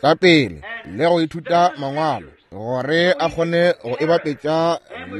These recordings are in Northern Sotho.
Ka pele le go ithuta mangwalo gore a kgone go e bapetša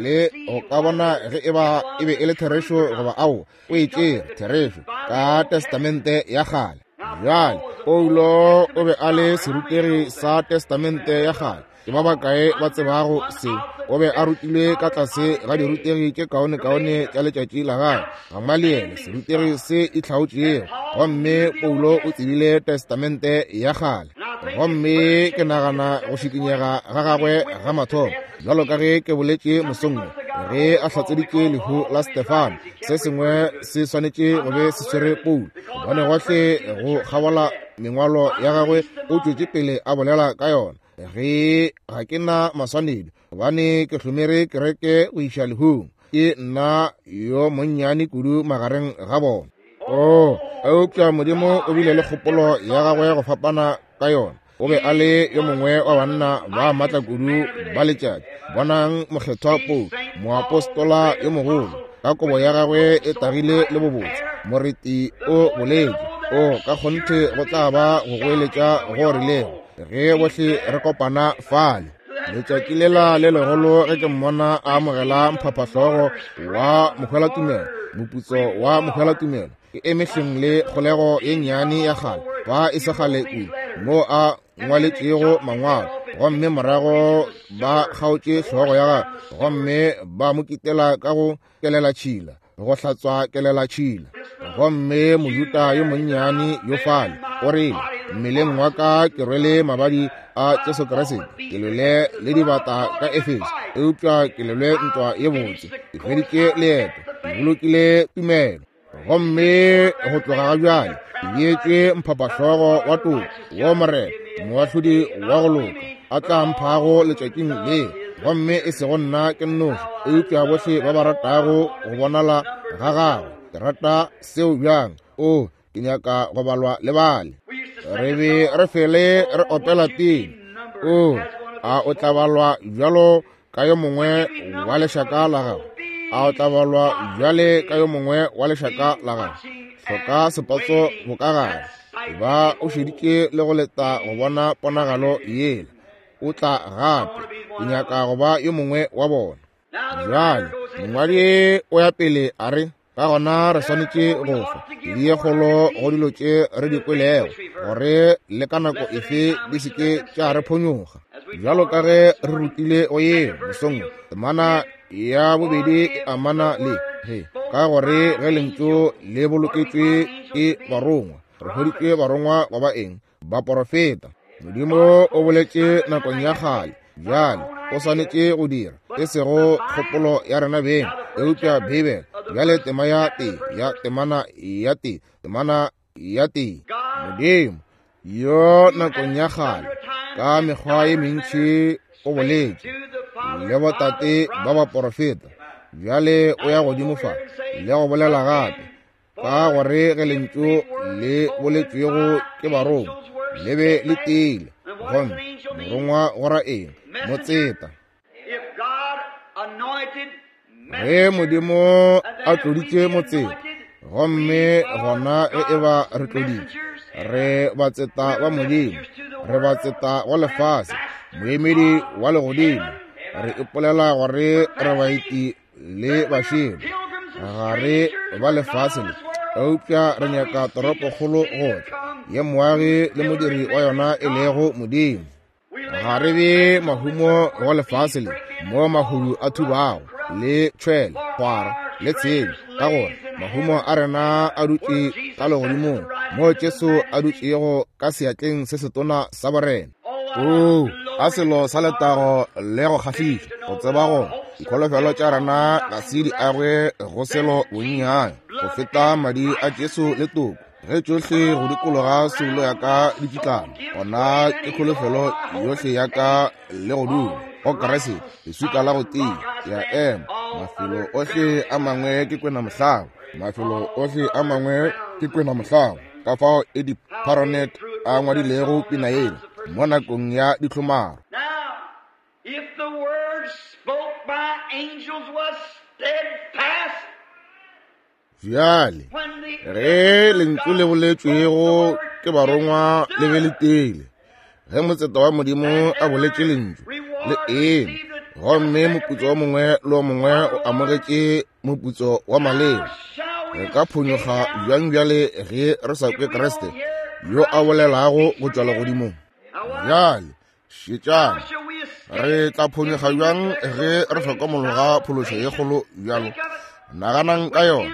le go ka bona ge e ba e be e le therešo goba ao o e tšere therešo ka testamente ya kgale. Bjale Paulo o be a le serutegi sa testamente ya kgale. Ke ba bakae ba tsebago se? O be a rutilwe ka tlase ga dirutegi tše kaonekaone tša letšatši la gagwe, Gamaliele, serutegi se itlhaotšego. Gomme Paulo o tsebile testamente ya kgale. Gomme ke nagana go šikinyega ga gagwe ga mathomo, bjalo ka ge ke boletše mosong wo, ge a hlatseditše lehu la Stefano, se sengwe se swanetše go be se swere Paulo, gobane gohle go kgabola mengwalo ya gagwe o tšwetše pele a bolela ka yona. Ge ga ke na maswanedi, gobane ke hlomere kereke go iša lehung, ke nna yo monnyane kudu magareng ga bona. Oh, eupša Modimo o bile le kgopolo ya gagwe go fapana ka yona. O be a le yo mongwe wa banna ba matla kudu ba letšatši. Bonang mokgethwa Paulo, moapostola yo mogolo, ka kobo ya gagwe e tagile le bobotse. Moreti o boletše, o ka kgonthe go tla ba go goeletša go rilego ge bohle re kopana fale. Letšatši lela le legolo ge ke mmona a amogela mphaphahlogo wa mohwelatumelo, moputso wa mohwelatumelo, ke eme hleng le kgolego ye nnyane ya kgale fa e se kgale kudu, moo a ngwaletšego mangwalo, gomme morago ba kgaotše hlogo ya gagwe gomme ba mo kitela ka go kelelatšhila, go hlatswa kelelatšhila. Gomme Mojuda yo monnyane yo fale o rile, mmeleng wa ka ke rwele mabadi a Jesu Kriste, ke lwele le dibata ka Efeso, eupša ke lwele ntwa ye botse, ke hweditše leeto, ke bolokile tumelo. Gomme go tloga ga bjale ke beetšwe mphaphahlogo wa toko wo Morena moahlodi wa go loka a tla mphago letšatšing leo, gomme e sego nna ke nnoši, eupša bohle ba ba ratago go bonala ga gagwe. Ke rata seo bjang! O, ke nyaka go balwa le bale. Re be re fele re opela pina. O, a o tla balwa bjalo ka yo mongwe wa lešaka la gago? A o tla balwa bjale ka yo mongwe wa lešaka la gago? Hloka sepatso bokagare, ba o šeditše le go leta go bona ponagalo yela. O tla gape. Ke nyaka go ba yo mongwe wa bona. Bjale mongwadi o ya pele a re, ka gona re swanetše go fa ye kgolo go dilo tše re di kwelego, gore le ka nako efe di se ke tša re phonyokga. Bjalo ka ge re rutile go yeo mosong, temana ya bobedi e amana le ge, ka gore ge lentšu le boloketšwe ke barongwa, re hweditše barongwa ba ba eng? Baporofeta. Modimo o boletše nakong ya kgale, bjale o swanetše go dira, e sego kgopolo ya rena beng, eupša Beibele. Bjale tema ya tee ya temana ya tee, temana ya tee. Modimo yo nakong ya kgale ka mekgwa ye mentši o boletše le botate ba baporofeta, bjale o ya godimo fa le go bolela gape, ka gore ge lentšu le boletšwego ke barongwa le be le tiile. Gomme morongwa go ra eng? Motseta. Ge Modimo a tloditše motseta, gomme gona ge e ba re tloditše, re batseta ba Modimo, re batseta wa lefase, moemedi wa legodimo, re ipolela gore re baeti le bašele, ga re ba lefase le, eupša re nyaka toropokgolo go tla, ye moagi le modiri wa yona e lego Modimo. Ga re be mahumo go lefase le, mo mahodu a thubago, le tšhwele, kgwara, le tshenyo, ka gore mahumo a rena a dutše ka legodimong, mo Jesu a dutšego ka seatleng se setona sa borena. Oo, a selo sa letago le go kgahliša go tseba gore dikholofelo tša rena ga se di agwe go selo bonnyane go feta madi a Jesu le toko. Ge tšohle go dikologa soulo ya ka di tšitlana, gona ke kholofelo yohle ya ka le go dula go Kriste, leswika la go tia, ke a ema. Mafelo ohle a mangwe ke kwena mohlaba, mafelo ohle a mangwe ke kwena mohlaba. Ka fao Eddie Paronet a ngwadilego pina yela mo nakong ya dihlomaro. If the word spoke by angels was steadfast, Bjale, ge lentšu le boletšwego ke barongwa le be le tiile, Ge motseta wa Modimo a boletše lentšu, le eme, gomme moputso o mongwe le o mongwe o amogetše moputso wa maleba. Re ka phonyokga bjang bjale ge re sa kwe Kriste yo a bolelago go tšwa legodimong? Bjale šetšang, re tla phonyokga bjang ge re hlokomologa phološo ye kgolo bjalo? Naganang ka yona,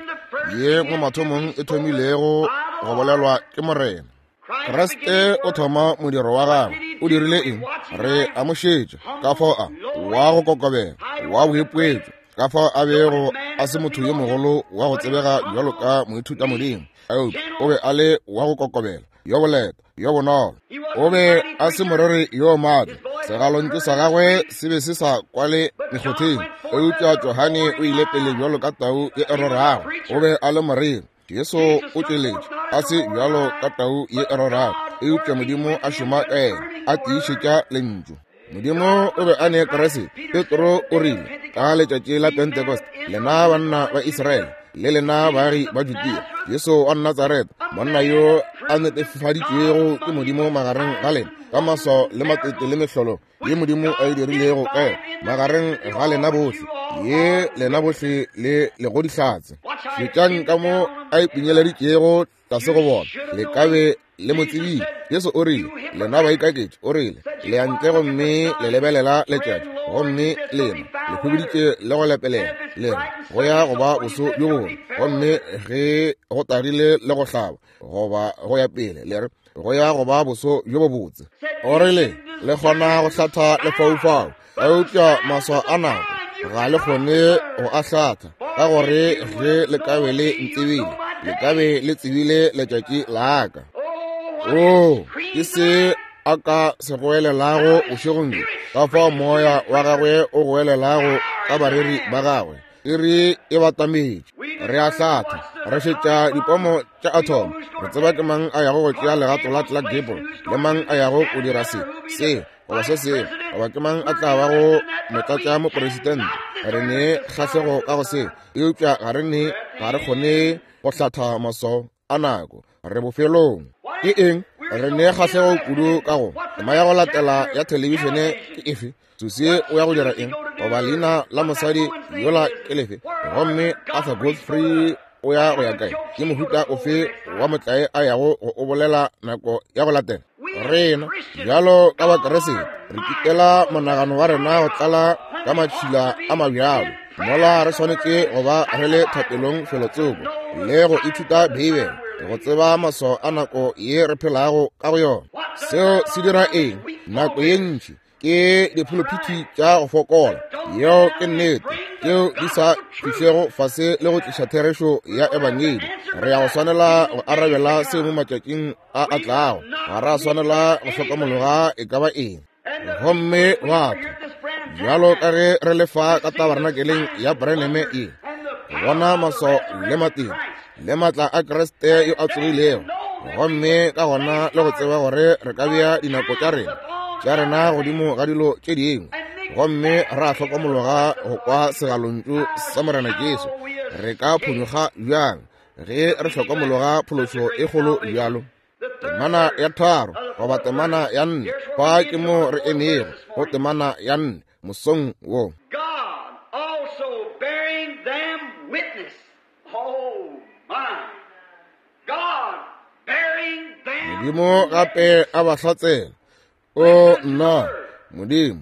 ye mo mathomong e thomilego go bolelwa ke Morena. Kriste o thoma modiro wa gagwe. O dirile eng? Re a mo šetša ka fao a wa go kokobela, wa boipoetšo, ka fao a bego a se motho yo mogolo wa go tsebega bjalo ka moithutamodimo, eupša o be a le wa go kokobela, yo boleta, yo bonolo. O be a se moreri yo maatla, segalontšu sa gagwe se be se sa kwale mekgotheng, eupša Johane o ile pele bjalo ka tau ye e rorago. O be a le moreri. Jesu o tšweletše a se bjalo ka tau ye e rorago, eupša Modimo a šoma ka yena, a tiišetša lentšu. Modimo o be a ne Kriste. Petro o rile ka letšatši la Pentecost, lena banna ba Israele le lena baagi ba Judea, Jesu wa Natsaretha, monna yo a netefaditšwego ke Modimo magareng ga lena ka maswao le matete le mehlolo ye Modimo a e dirilego ka yena magareng ga lena bohle, ye lena bohle le lego dihlatse. Šetšang ka mo a ipinyeleditšego tlase go bona, le ka be le mo tsebile. Jesu o rile, lena baikaketši, o rile, le ya ntle gomme le lebelela letšatši, gomme lena le hwibiditše le go lepelela, le re go ya go ba boso bjo bongwe, gomme ge go tagile le go hlaba goba go ya pele, le re go ya go ba boso bjo bobotse. O rile, le kgona go hlatha lefaufau, eupša maswao a nako ga le kgone go a hlatha, ka gore ge le ka be le ntsebile, le ka be le tsebile letšatši la ka. Oo, ke se a ka se goelelago bošegong bjo, ka fao moya wa gagwe o goelelago ka bareri ba gagwe. Iri e batametše, re a hlatha, re šetša dipomo tša athomo, re tseba ke mang a yago go tšea legato la Clark Gable, le mang a yago go dira se, se, goba se sengwe, goba ke mang a tla bago motlatšamopresidente. Re ne kgahlego ka go se, eupša ga re ne, ga re kgone go hlatha maswao a nako. Re bofelong. Ke eng? Re ne kgahlego kudu ka go tema ya go latela ya thelebišene ke efe? Susie o ya go dira eng? Goba leina la mosadi yola ke lefe? Gomme Arthur Godfrey o ya go ya kae? Ke mohuta ofe wa motlae a yago go o bolela nako ya go latela? Rena bjalo ka Bakeresete re kitela monagano wa rena go tlala ka matšhila a mabjalo, mola re swanetše go ba re le thapelong felotsoko le go ithuta Beibele go tseba maswao a nako ye re phelago ka go yona. Seo se dira eng? Nako ye ntši ke diphuluphithi tša go fokola, yeo ke nnete, tšeo di sa fihlego fase le go tliša therešo ya ebangedi. Re ya go swanela go arabela seo mo matšatšing a a tlago. Ga ra swanela go hlokomologa e ka ba eng. Gomme batho, bjalo ka ge re le fa ka tabernakeleng ya Branham ye, go bona maswao le matete le maatla a Kriste yo a tsogilego, gomme ka gona le go tseba gore re ka bea dinako tša rena tša rena godimo ga dilo tše dingwe, gomme ra hlokomologa go kwa segalontšu sa Morena Jesu, re ka phonyokga bjang ge re hlokomologa phološo e kgolo bjalo? Temana ya 3 goba temana ya 4, fa ke mo re emego go temana ya 4 mosong wo. God also bearing them witness. Oh my. God bearing them Modimo gape a ba hlatsela. O nna, Modimo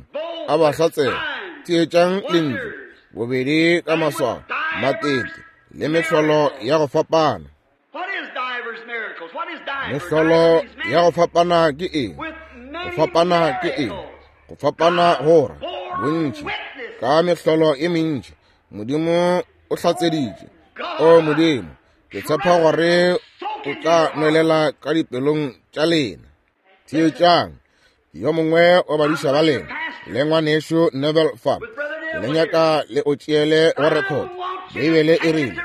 a ba hlatsela. Theetšang lentšu, bobedi ka maswao, matete le mehlolo ya go fapana. What is divers miracles? What is divers? Mehlolo Divers means ya go fapana ke eng? with Go many fapana ke eng? miracles. Go fapana go ra bontši ka mehlolo e mentši. Modimo o hlatseditše. O Modimo, ke tshepa gore o tla nwelela ka dipelong tša lena. Theetšang, yo mongwe wa badiša ba lena le ngwanešu Neville fa, ke le nyaka le o tšeele go record. Beibele e rile,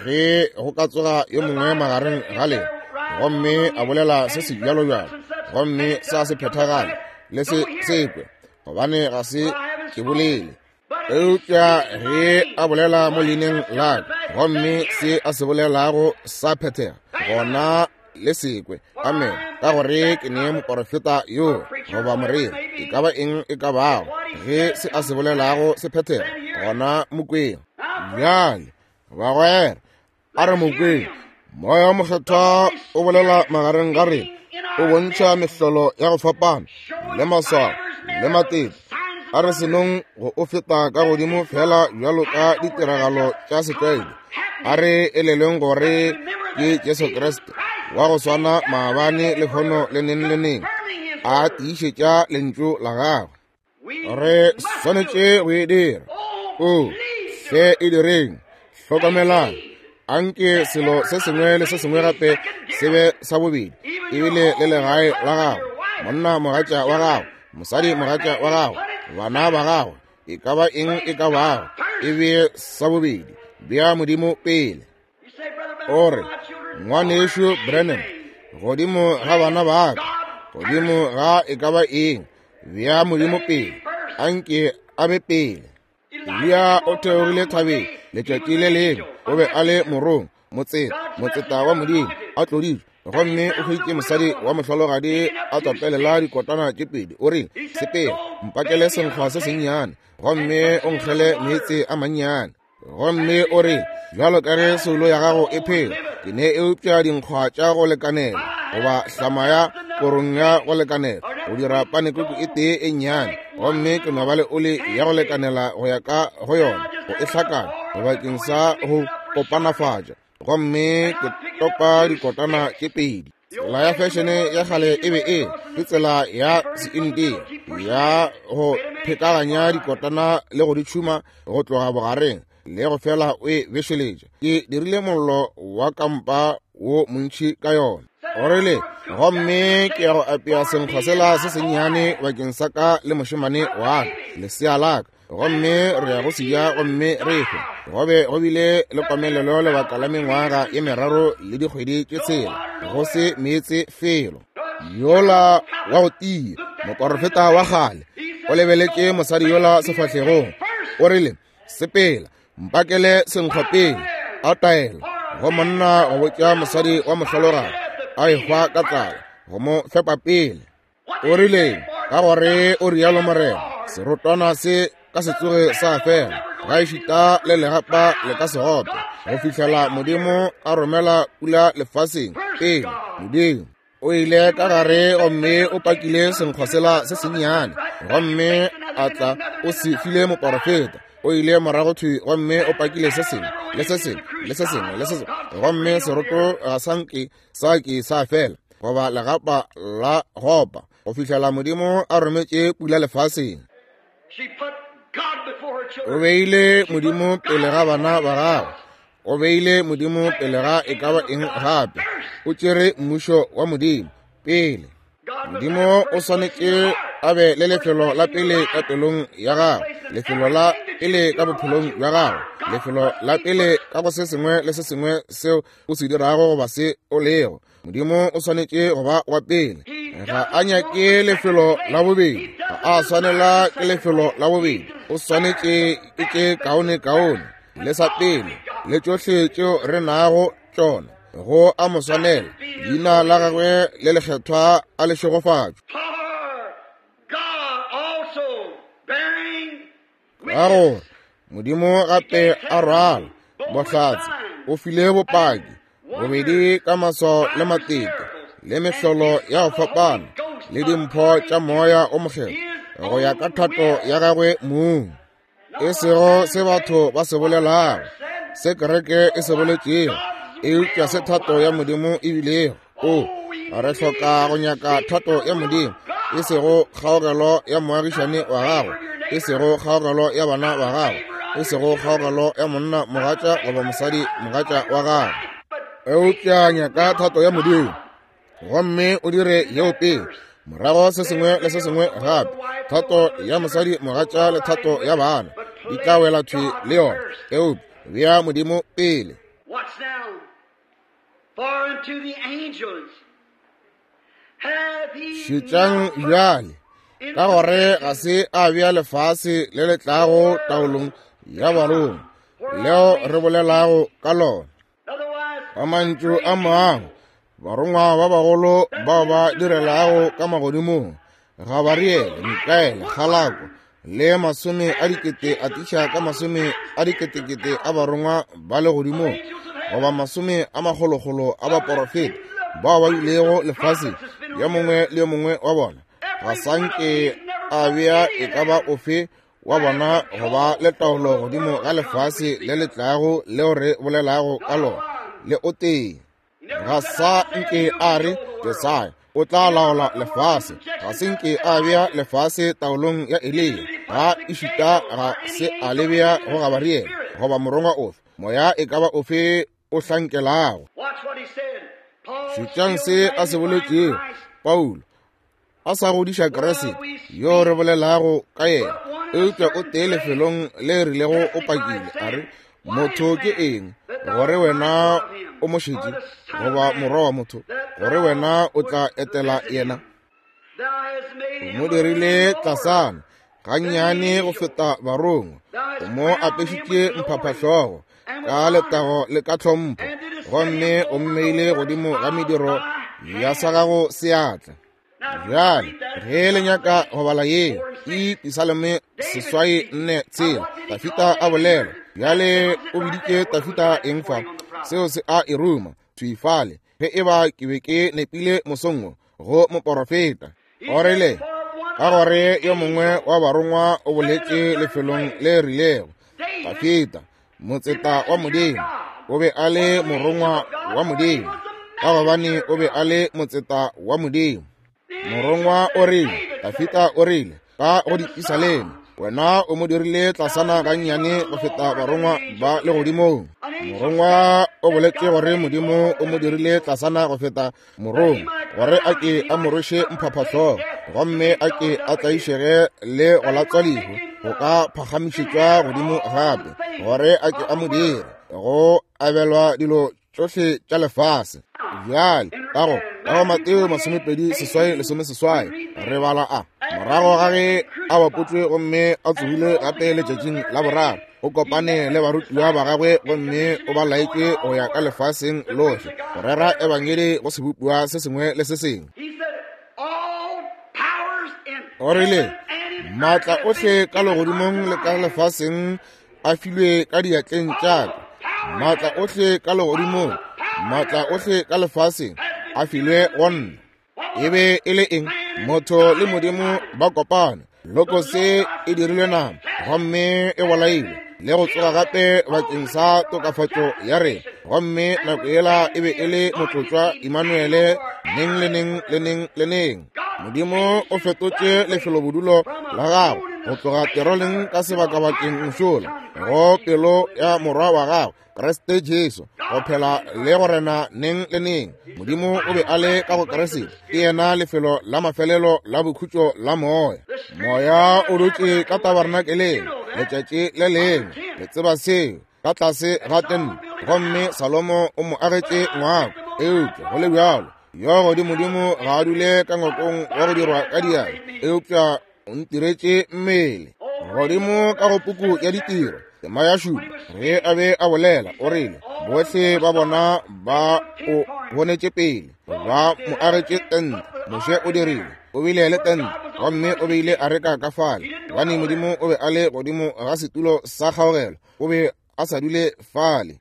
ge go ka tsoga yo mongwe magareng ga lena gomme a bolela se se bjalo-bjalo, gomme sa se phethagale, le se sekwe, gobane ga se ke bolele. Eupša ge a bolela mo leineng la ka, gomme se a se bolelago sa phethega, gona le sekwe. Amen. Ka gore ke ne moporofeta yo goba moreri, e ka ba eng e ka bago, ge se a se bolelago se phethega, gona mokweng. Bjale, bagwera, a re mokweng. Moya wa Mokgethwa o bolela magareng ga rena, o bontšha mehlolo ya go fapana le maswao le matete. A re senong go o feta ka godimo fela bjalo ka ditiragalo tša setlwaedi. A re elelweng gore ke Jesu Kriste wa go swana maabane, lehono le neng le neng, a tiišetša lentšu la gagwe. Re swanetše go e dira. O se e direng. Hlokamelang, anke selo se sengwe le se sengwe gape se be sa bobedi, ebile le legae la gago, monna mogatša wa gago, mosadi mogatša wa gago, bana ba gago, e ka ba eng e ka bago, e be sa bobedi. Bea Modimo pele. O re, Ngwanešu Branham, godimo ga bana ba ka, godimo ga e ka ba eng, bea Modimo pele. Anke a be pele. Eliya o theogile thabeng letšatši le lengwe, o be a le morong, motseta, motseta wa Modimo, a tloditšwe, gomme o hweditše mosadi wa mohlologadi a topelela dikotana tše pedi. O rile, Sepela, mpakele senkgwa se sennyane, gomme o nkgele meetse a mannyane. Gomme o re, bjalo ka ge soulo ya gago e phela, ke ne eupša dinkgwa tša go lekanela, goba hlama ya korong ya go lekanela go dira panekuku e tee e nnyane, gomme ke no ba le oli ya go lekanela go ya ka go yona go e hlakana bakeng sa go kopanafatša, gomme ke topa dikotana tše pedi. Tsela ya fešene ya kgale e be e ke tsela ya Seindia ya go phekaganya dikotana le go di tšhuma go tloga bogareng le go fela o e bešeletša. Ke dirile mollo wa kampa wo montši ka yona. O rile, gomme ke ya go apea senkgwa sela se sennyane bakeng sa ka le mošemane wa ka, lesea la ka, gomme re ya go se ja gomme re hwe. Go be go bile le komelelo lebaka la mengwaga ye meraro le dikgwedi tše tshela, go se meetse felo. Yola wa go tia, moporofeta wa kgale, o lebeletše mosadi yola sefahlegong, o rile, Sepela, mpakele senkgwa pele. A taela go monna go botša mosadi wa mohlologadi a ehwa ka tlala, go mo fepa pele. O rile, ka gore o rialo Morena, serotwana se ka se tsoge sa fela, ga ešita le legapa le ka se gope, go fihlela Modimo a romela pula lefaseng. Pele Modimo o ile ka gare gomme o pakile senkgwa sela se sennyane, gomme a tla o se file moporofeta. O ile morago thwi gomme o pakile se sengwe le se sengwe le se sengwe le se sengwe, gomme seroto ga sa nke sa ke sa fela, goba legapa la gopa, go fihlela Modimo a rometše pula lefaseng. O beile Modimo pele ga bana ba gagwe, o beile Modimo pele ga e ka ba eng gape. O tšere mmušo wa Modimo pele. Modimo o swanetše a be le lefelo la pele ka pelong ya gago, lefelo la pele ka bophelong bja gago, lefelo la pele ka go se sengwe le se sengwe seo o se dirago goba se o lego. Modimo o swanetše go ba wa pele. Ga a nyake lefelo la bobedi, ga a swanela ke lefelo la bobedi. O swanetše ke tše kaone kaone le sa pele le tšohle tšeo re nago tšona. Go a mo swanela, leina la gagwe le lekgethwa a le šegofatšwe. Ka gore Modimo gape a rwala bohlatse, o file bopaki bobedi ka maswao le matete le mehlolo ya go fapana le dimpho tša Moya o Mokgethwa go ya ka thato ya gagwe mong. E sego se batho ba se bolelago, se kereke e se boletšego, eupša se thato ya Modimo e bilego. O re hloka go nyaka thato ya Modimo, e sego kgaogelo ya moagišane wa gago, e sego kgaogelo ya bana ba gago, e sego kgaogelo ya monna mogatša goba mosadi mogatša wa gago, eupša nyaka thato ya Modimo gomme o dire yeo pele, morago se sengwe le se sengwe gape, thato ya mosadi mogatša le thato ya bana di tla wela thwi le yona, eupša bea Modimo pele. Šetšang bjale, ka gore ga se a bea lefase le le tlago taolong ya barongwa leo re bolelago ka lona. Ka mantšu a mangwe, Barongwa ba bagolo bao ba direlago ka magodimong, Gabariele, Mikaele, Galako, le masome a dikete a tiša ka masome a diketekete a barongwa ba legodimong, goba masome a makgolokgolo a baporofeta bao ba bilego lefaseng, yo mongwe le yo mongwe wa bona ga sa nke a bea e ka ba ofe wa bona go ba le taolo godimo ga lefase le le tlago leo re bolelago ka lona, le o tee. Ga sa nke a re Jesaya o tla laola lefase, ga se nke a bea lefase taolong ya Eliya, ga ešita ga se a le bea go Gabariele goba morongwa ofe, moya e ka ba ofe o hlankelago. Šetšang se a se boletšego Paulo a sa godiša Kriste yo re bolelago ka yena, eupša o tee lefelong le rilego o pakile a re, motho ke eng gore wena o mo šetše, goba morwa wa motho gore wena o tla etela yena? O mo dirile tlasana gannyane go feta barongwa, o mo apešitše mphaphahlogo ka letago le ka tlhompho, gomme o mmeile godimo ga mediro ya sa gago seatla. Bjale ge le nyaka go bala yeo, e Pisalome 84, Dafita a bolela. Bjale o biditše Dafita eng fa? Seo se a e ruma thwi fale, ge e ba ke be ke nepile mosong wo go moporofeta. O rile, ka gore yo mongwe wa barongwa o boletše lefelong le rilego, Dafita, motseta wa Modimo, o be a le morongwa wa Modimo, ka gobane o be a le motseta wa Modimo. Morongwa o rile, Dafita o rile, ka go dipisaleme, wena o mo dirile tlasana gannyane go feta barongwa ba legodimong. Morongwa o boletše gore Modimo o mo dirile tlasana go feta morongwa, gore a ke a mo rweše mphaphahlogo, gomme a ke a tlaišege le go latswa lehu, go ka phagamišetšwa godimo gape, gore a ke a mo dire go abelwa dilo tšohle tša lefase. Bjale ka go Mateo 28:18 re bala a morago ga ge a bapotšwe gomme a tsogile gape letšatšing la boraro, o kopane le barutiwa ba gagwe gomme o ba laetše go ya ka lefaseng lohle go rera ebangedi go sebopiwa se sengwe le se sengwe. O rile, maatla ohle ka legodimong le ka lefaseng a filwe ka diatleng tša ka. Maatla ohle ka legodimong, maatla ohle ka lefaseng a filwe go nna. E be e le eng? Motho le Modimo ba kopane. Lokose e dirilwe nama gomme e bolailwe le go tsoga gape bakeng sa tokafatšo ya rena, gomme nako yela e be e le motlotšwa Immanuele neng le neng le neng le neng. Modimo o fetotše lefelobodulo la gagwe go tloga teroleng ka sebakabakeng mošola go pelo ya morwa wa gagwe Kriste Jesu, go phela le go rena neng le neng. Modimo o be a le ka go Kriste, ke yena lefelo la mafelelo la bokhutšo la moya. Moya o dutše ka tabernakeleng letšatši le lengwe, le tseba seo, ka tlase ga tente, gomme Salomo o mo agetše ngwako. Eupša go le bjalo, yo godimodimo ga a dule ka ngwakong wa go dirwa ka diatla, eupša o ntiretše mmele. Godimo ka go puku ya ditiro tema ya 7, ge a be a bolela, o rile, bohle ba bona ba o bonetše pele, ba mo agetše tente. Moshe o dirile, o bile le tente, gomme o beile areka ka fale, gobane Modimo o be a le godimo ga setulo sa kgaogelo, o be a sa dule fale.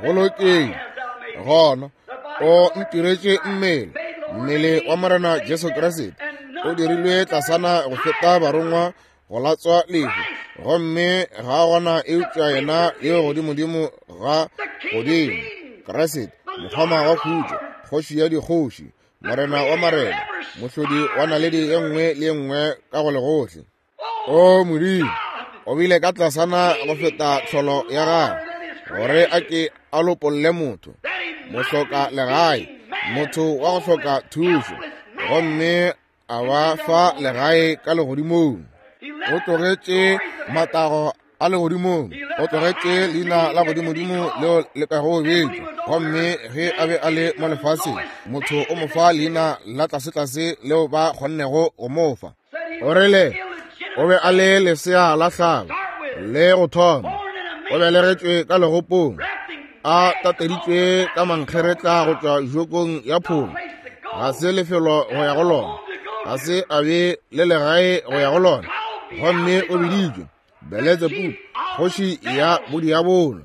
Go lokile, gona o ntiretše mmele, mmele wa Morena Jesu Kriste o dirilwe tlasana go feta barongwa go latswa lehu, gomme ga gona eupša yena yo godimodimo ga godimo, Kriste, mokgoma wa khutšo, kgoši ya dikgoši, morena wa marena, mohlodi wa naledi ye nngwe le ye nngwe ka go legohle. O Modimo, o bile ka tlasana go feta tlholo ya gagwe, gore a ke a lopolle motho, mohloka legae, motho wa go hloka thušo, gomme a ba fa legae ka legodimong. O tlogetše matago a legodimong, o tlogetše leina la godimodimo leo le kago betšwa, gomme ge a be a le mo lefaseng, motho o mo fa leina la tlasetlase leo ba kgonnego go mo fa. O rile o be a le lesea la hlago le go thoma, o belegetšwe ka legopong, a tateditšwe ka mankgeretla go tšwa jokong ya pholo. Ga se lefelo go ya go lona, ga se a be le legae go ya go lona. Gomme o biditšwe Beletsebubu, kgoši ya bodiabolo.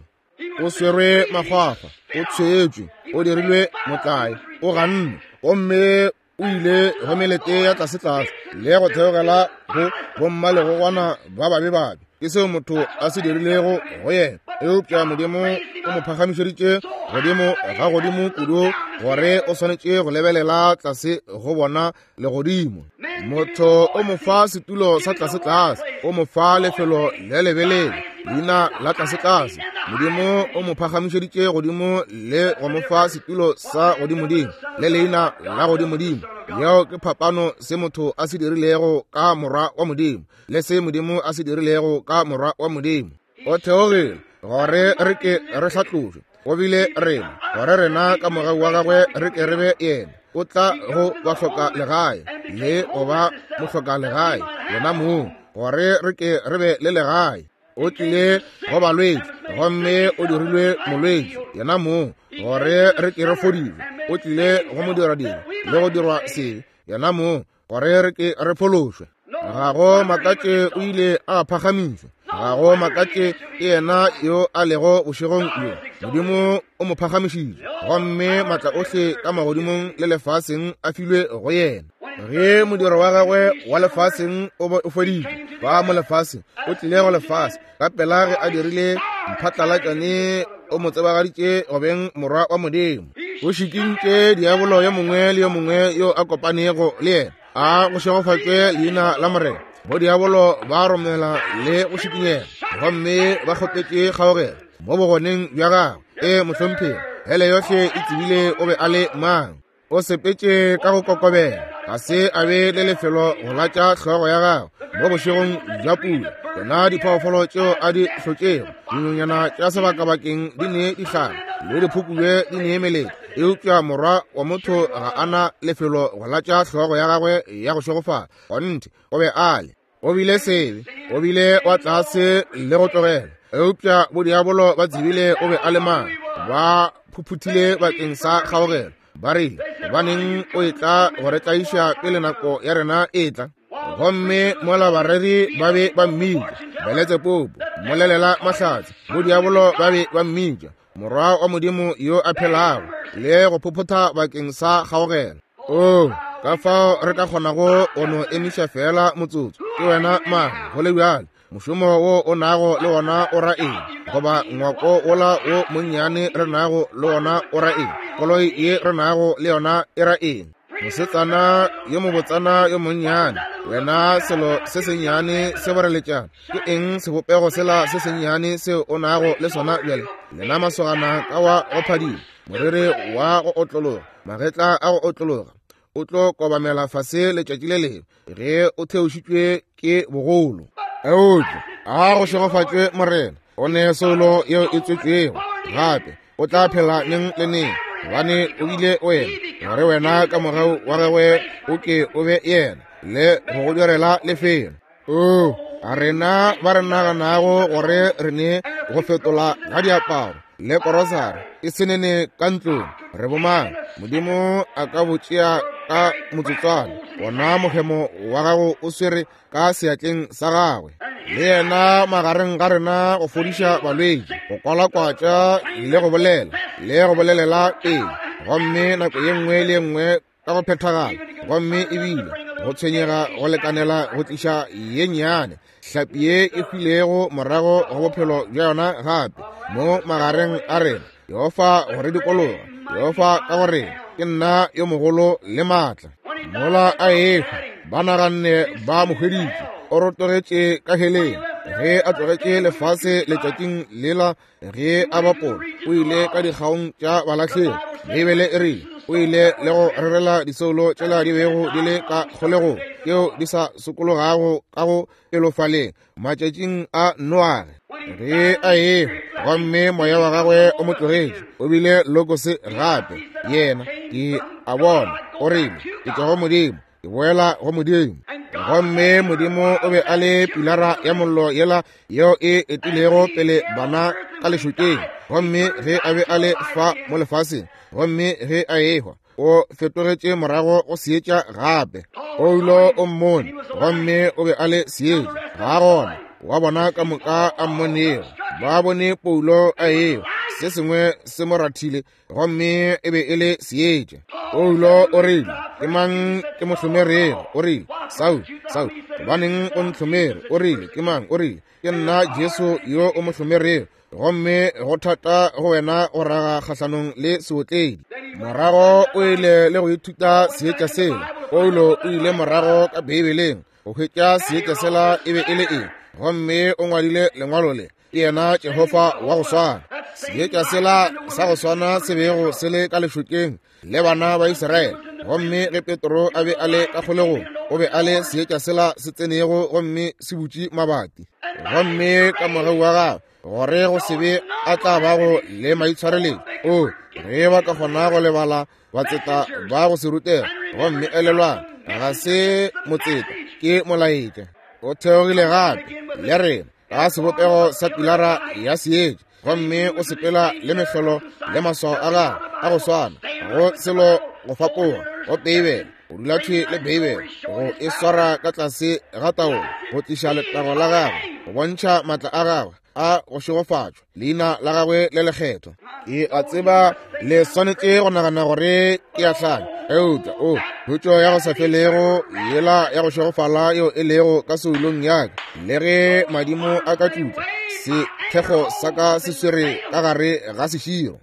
O swerwe makgwakgwa, o tshwetšwe, o dirilwe motlae, o gannwe, gomme o ile go melete ya tlasetlase le go theogela go bommalegogwana ba babe babe. Ke seo motho a se dirilego go yena, eupša Modimo o mo phagamišeditše godimo ga godimo kudu gore o swanetše go lebelela tlase go bona legodimo. Motho o mo fa setulo sa tlasetlase, o mo fa lefelo le lebelele, leina la tlasetlase. Modimo o mo phagamišeditše godimo le go mo fa setulo sa godimodimo le leina la godimodimo. Yeo ke phapano se motho a se dirilego ka Morwa wa Modimo le se Modimo a se dirilego ka Morwa wa Modimo. O theogile gore re ke re hlatlošwe, go bile rena gore rena ka mogau wa gagwe re ke re be yena. O tla go bahloka legae le go ba mohloka legae yena mong, gore re ke re be le legae. O tlile go balwetši gomme o dirilwe molwetši yena mong, gore re ke re fodišwe. O tlile go modiradiri le go dirwa sebe yena mong, gore re ke re phološwe. Ga go makatše o ile a phagamišwa. Ga go makatše ke yena yo a lego bošegong bjo. Modimo o mo phagamišitše, gomme maatla ohle ka magodimong le lefaseng a filwe go yena. Ge modiro wa gagwe wa lefaseng o feditšwe fa mo lefaseng, o tlile go lefase ka pela ge a dirile mphatlalatšane, o mo tsebagaditše go beng Morwa wa Modimo. O šikintše diabolo yo mongwe le yo mongwe yo a kopanego le yena. A go šegofatšwe leina la Morena. Bodiabolo ba romela le go šikinyega, gomme ba kgopetše kgaogelo mo bogoneng bja gagwe. E mohlomphegi, hele yohle e tsebile o be a le mang. O sepetše ka go kokobela, ga se a be le lefelo go latša hlogo ya gagwe mo bošegong bja pula. Tsona diphoofolo tšeo a di hlotšego, dinonyana tša sebakabakeng di ne dihlare le diphukubje di ne melete, eupša Morwa wa motho ga a na lefelo go latša hlogo ya gagwe ya go šegofala. Kgonthe, o be a le. O bile sebe, o bile wa tlase le go tlogela, eupša bodiabolo ba tsebile o be a le mang. Ba phuphuthile bakeng sa kgaogelo, ba rile, gobaneng o etla go re tlaiša pele nako ya rena e tla? Gomme mola bareri ba be ba mmitša Beletsepopo, mmolelela mahlatse, bodiabolo ba be ba mmitša Morwa wa Modimo yo a phelago, le go phophotha bakeng sa kgaogelo. O, ka fao re ka kgonago go no emiša feela motsotso. Ke wena mang, go le bjalo? Mošomo wo o nago le wona o ra eng? Goba ngwako wola wo monnyane re nago le wona o ra eng? Koloi ye re nago le yona e ra eng? Mosetsana yo mobotsana yo monnyane, wena selo se sennyane se boreletšana, ke eng sebopego sela se sennyane seo o nago le sona bjale? Lena masogana ka wa go phadima, moriri wa go otlologa, magetla a go otlologa, o tlo kobamela fase letšatši le lengwe ge o theošitšwe ke bogolo. Eupša a go šegofatšwe Morena, o ne soulo yeo e tswetšwego gape, o tla phela neng le neng, gobane o bile wena, gore wena ka mogau wa gagwe o ke o be yena le go go direla lefelo. O, a rena ba re naganago gore re ne go fetola ga diaparo le korosari e senene ka ntlong, re bomang? Modimo a ka bo tšea ka motsotswana. Wona mohemo wa gago o swere ka seatleng sa gagwe, le yena magareng ga rena go fodiša balwetši, go kwalakwatša le go bolela le go bolelela pele, gomme nako ye nngwe le ye nngwe ka go phethagala, gomme ebile go tshwenyega go lekanela go tliša ye nnyane hlapi ye e hwilego morago go bophelo bja yona gape mo magareng a rena. Jehofa go re dikologa, Jehofa ka gore ke nna yo mogolo le maatla. Mola a ehwa, ba naganne ba mo hweditše, o rotogetše ka heleng. Ge a tlogetše lefase letšatšing lela ge a bapola, o ile ka dikgaong tša balahlegi. Beibele e rile o ile le go rerela disoulo tšela di bego di le ka kgolegong, tšeo di sa sokologago ka go pelofaleng matšatšing a Noage. Ge a ehwa gomme moya wa gagwe o mo tlogetše, o bile logose gape. Yena ke a bona, o rile, ke tšwa go Modimo, ke boela go Modimo. Gomme Modimo o be a le pilara ya mollo yela yeo e etilego pele bana ka lešokeng, gomme ge a be a le fa mo lefaseng, gomme ge a ehwa, o fetogetše morago go seetša gape. Paulo o mmone, gomme o be a le seetša. Ga gona wa bona ka moka a mmonego. Ba bone Paulo a ehwa, se sengwe se mo rathile, gomme e be e le seetša. Paulo o rile, ke mang ke mo hlomerego? O rile, Saul, Saul, gobaneng o ntlhomere? O rile, ke mang? O rile, ke nna Jesu yo o mo hlomerego, gomme go thata go wena go raga kgahlanong le seotledi. Morago o ile le go ithuta seetša sela. Paulo o ile morago ka Beibeleng go hwetša seetša sela e be e le eng, gomme o ngwadile lengwalo le. Ke yena Jehofa wa go swana. Seetša sela sa go swana se bego se le ka lešokeng le bana ba Israele. Gomme ge Petro a be a le ka kgolegong, o be a le seetša sela se tsenego gomme se butše mabati. Gomme ka mogau wa gagwe, gore go se be a tla bago le maitshwareletšo, o ge ba ka kgona go lebala batseta ba go se rutega. Gomme elelwang, ga se motseta, ke molaetša. O theogile gape le rena ka sebopego sa pilara ya seetša, gomme o sepela le mehlolo le maswao a gagwe a go swana, go selo go fapoga go Beibele, go dula thwi le Beibele, go e swara ka tlase ga taolo, go tliša letago la gagwe, go bontšha maatla a gagwe a go šegofatšwa, leina la gagwe le lekgethwa. Ke a tseba le swanetše go nagana gore ke a hlanya, eupša o khutšo ya go sa felego yela ya go šegofala yeo e lego ka soulong ya ka, le ge madimo a ka tšutla, sethekgo sa ka se swere ka gare ga seširo.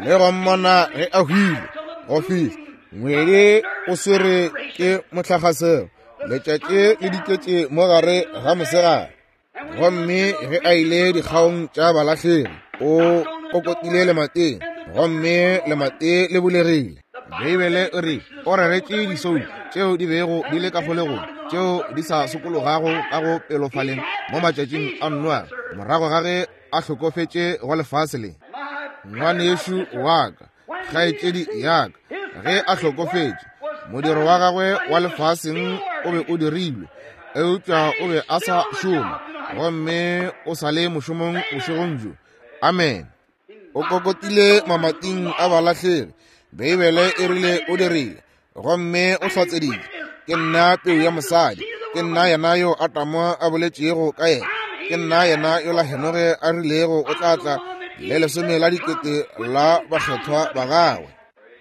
Le go mmona ge a hwile go fihla ngwedi o swere ke mohlakgaselo, letšatši le diketše mo gare ga mosegare. Gomme ge a ile dikgaong tša balahlegi, o kokotile lemateng, gomme lemate le bulegile. Beibele e re o reretše disoulu tšeo di bego di le ka kgolegong, tšeo di sa sokologago ka go pelofaleng mo matšatšing a Noa, morago ga ge a hlokofetše go lefase le. Ngwanešu wa ka, kgaetšedi ya ka, ge a hlokofetše, modiro wa gagwe wa lefaseng o be o dirilwe, eupša o be a sa šoma, gomme o sa le mošomong bošegong bjo. Amen. O kokotile mamating a balahlegi. Beibele e rile o dirile, gomme o hlatseditše, ke nna peu ya mosadi, ke nna yena yo Adamo a boletšego ka yena, ke nna yena yola Henoge a rilego o tla tla le 10 la dikete la bakgethwa ba gagwe.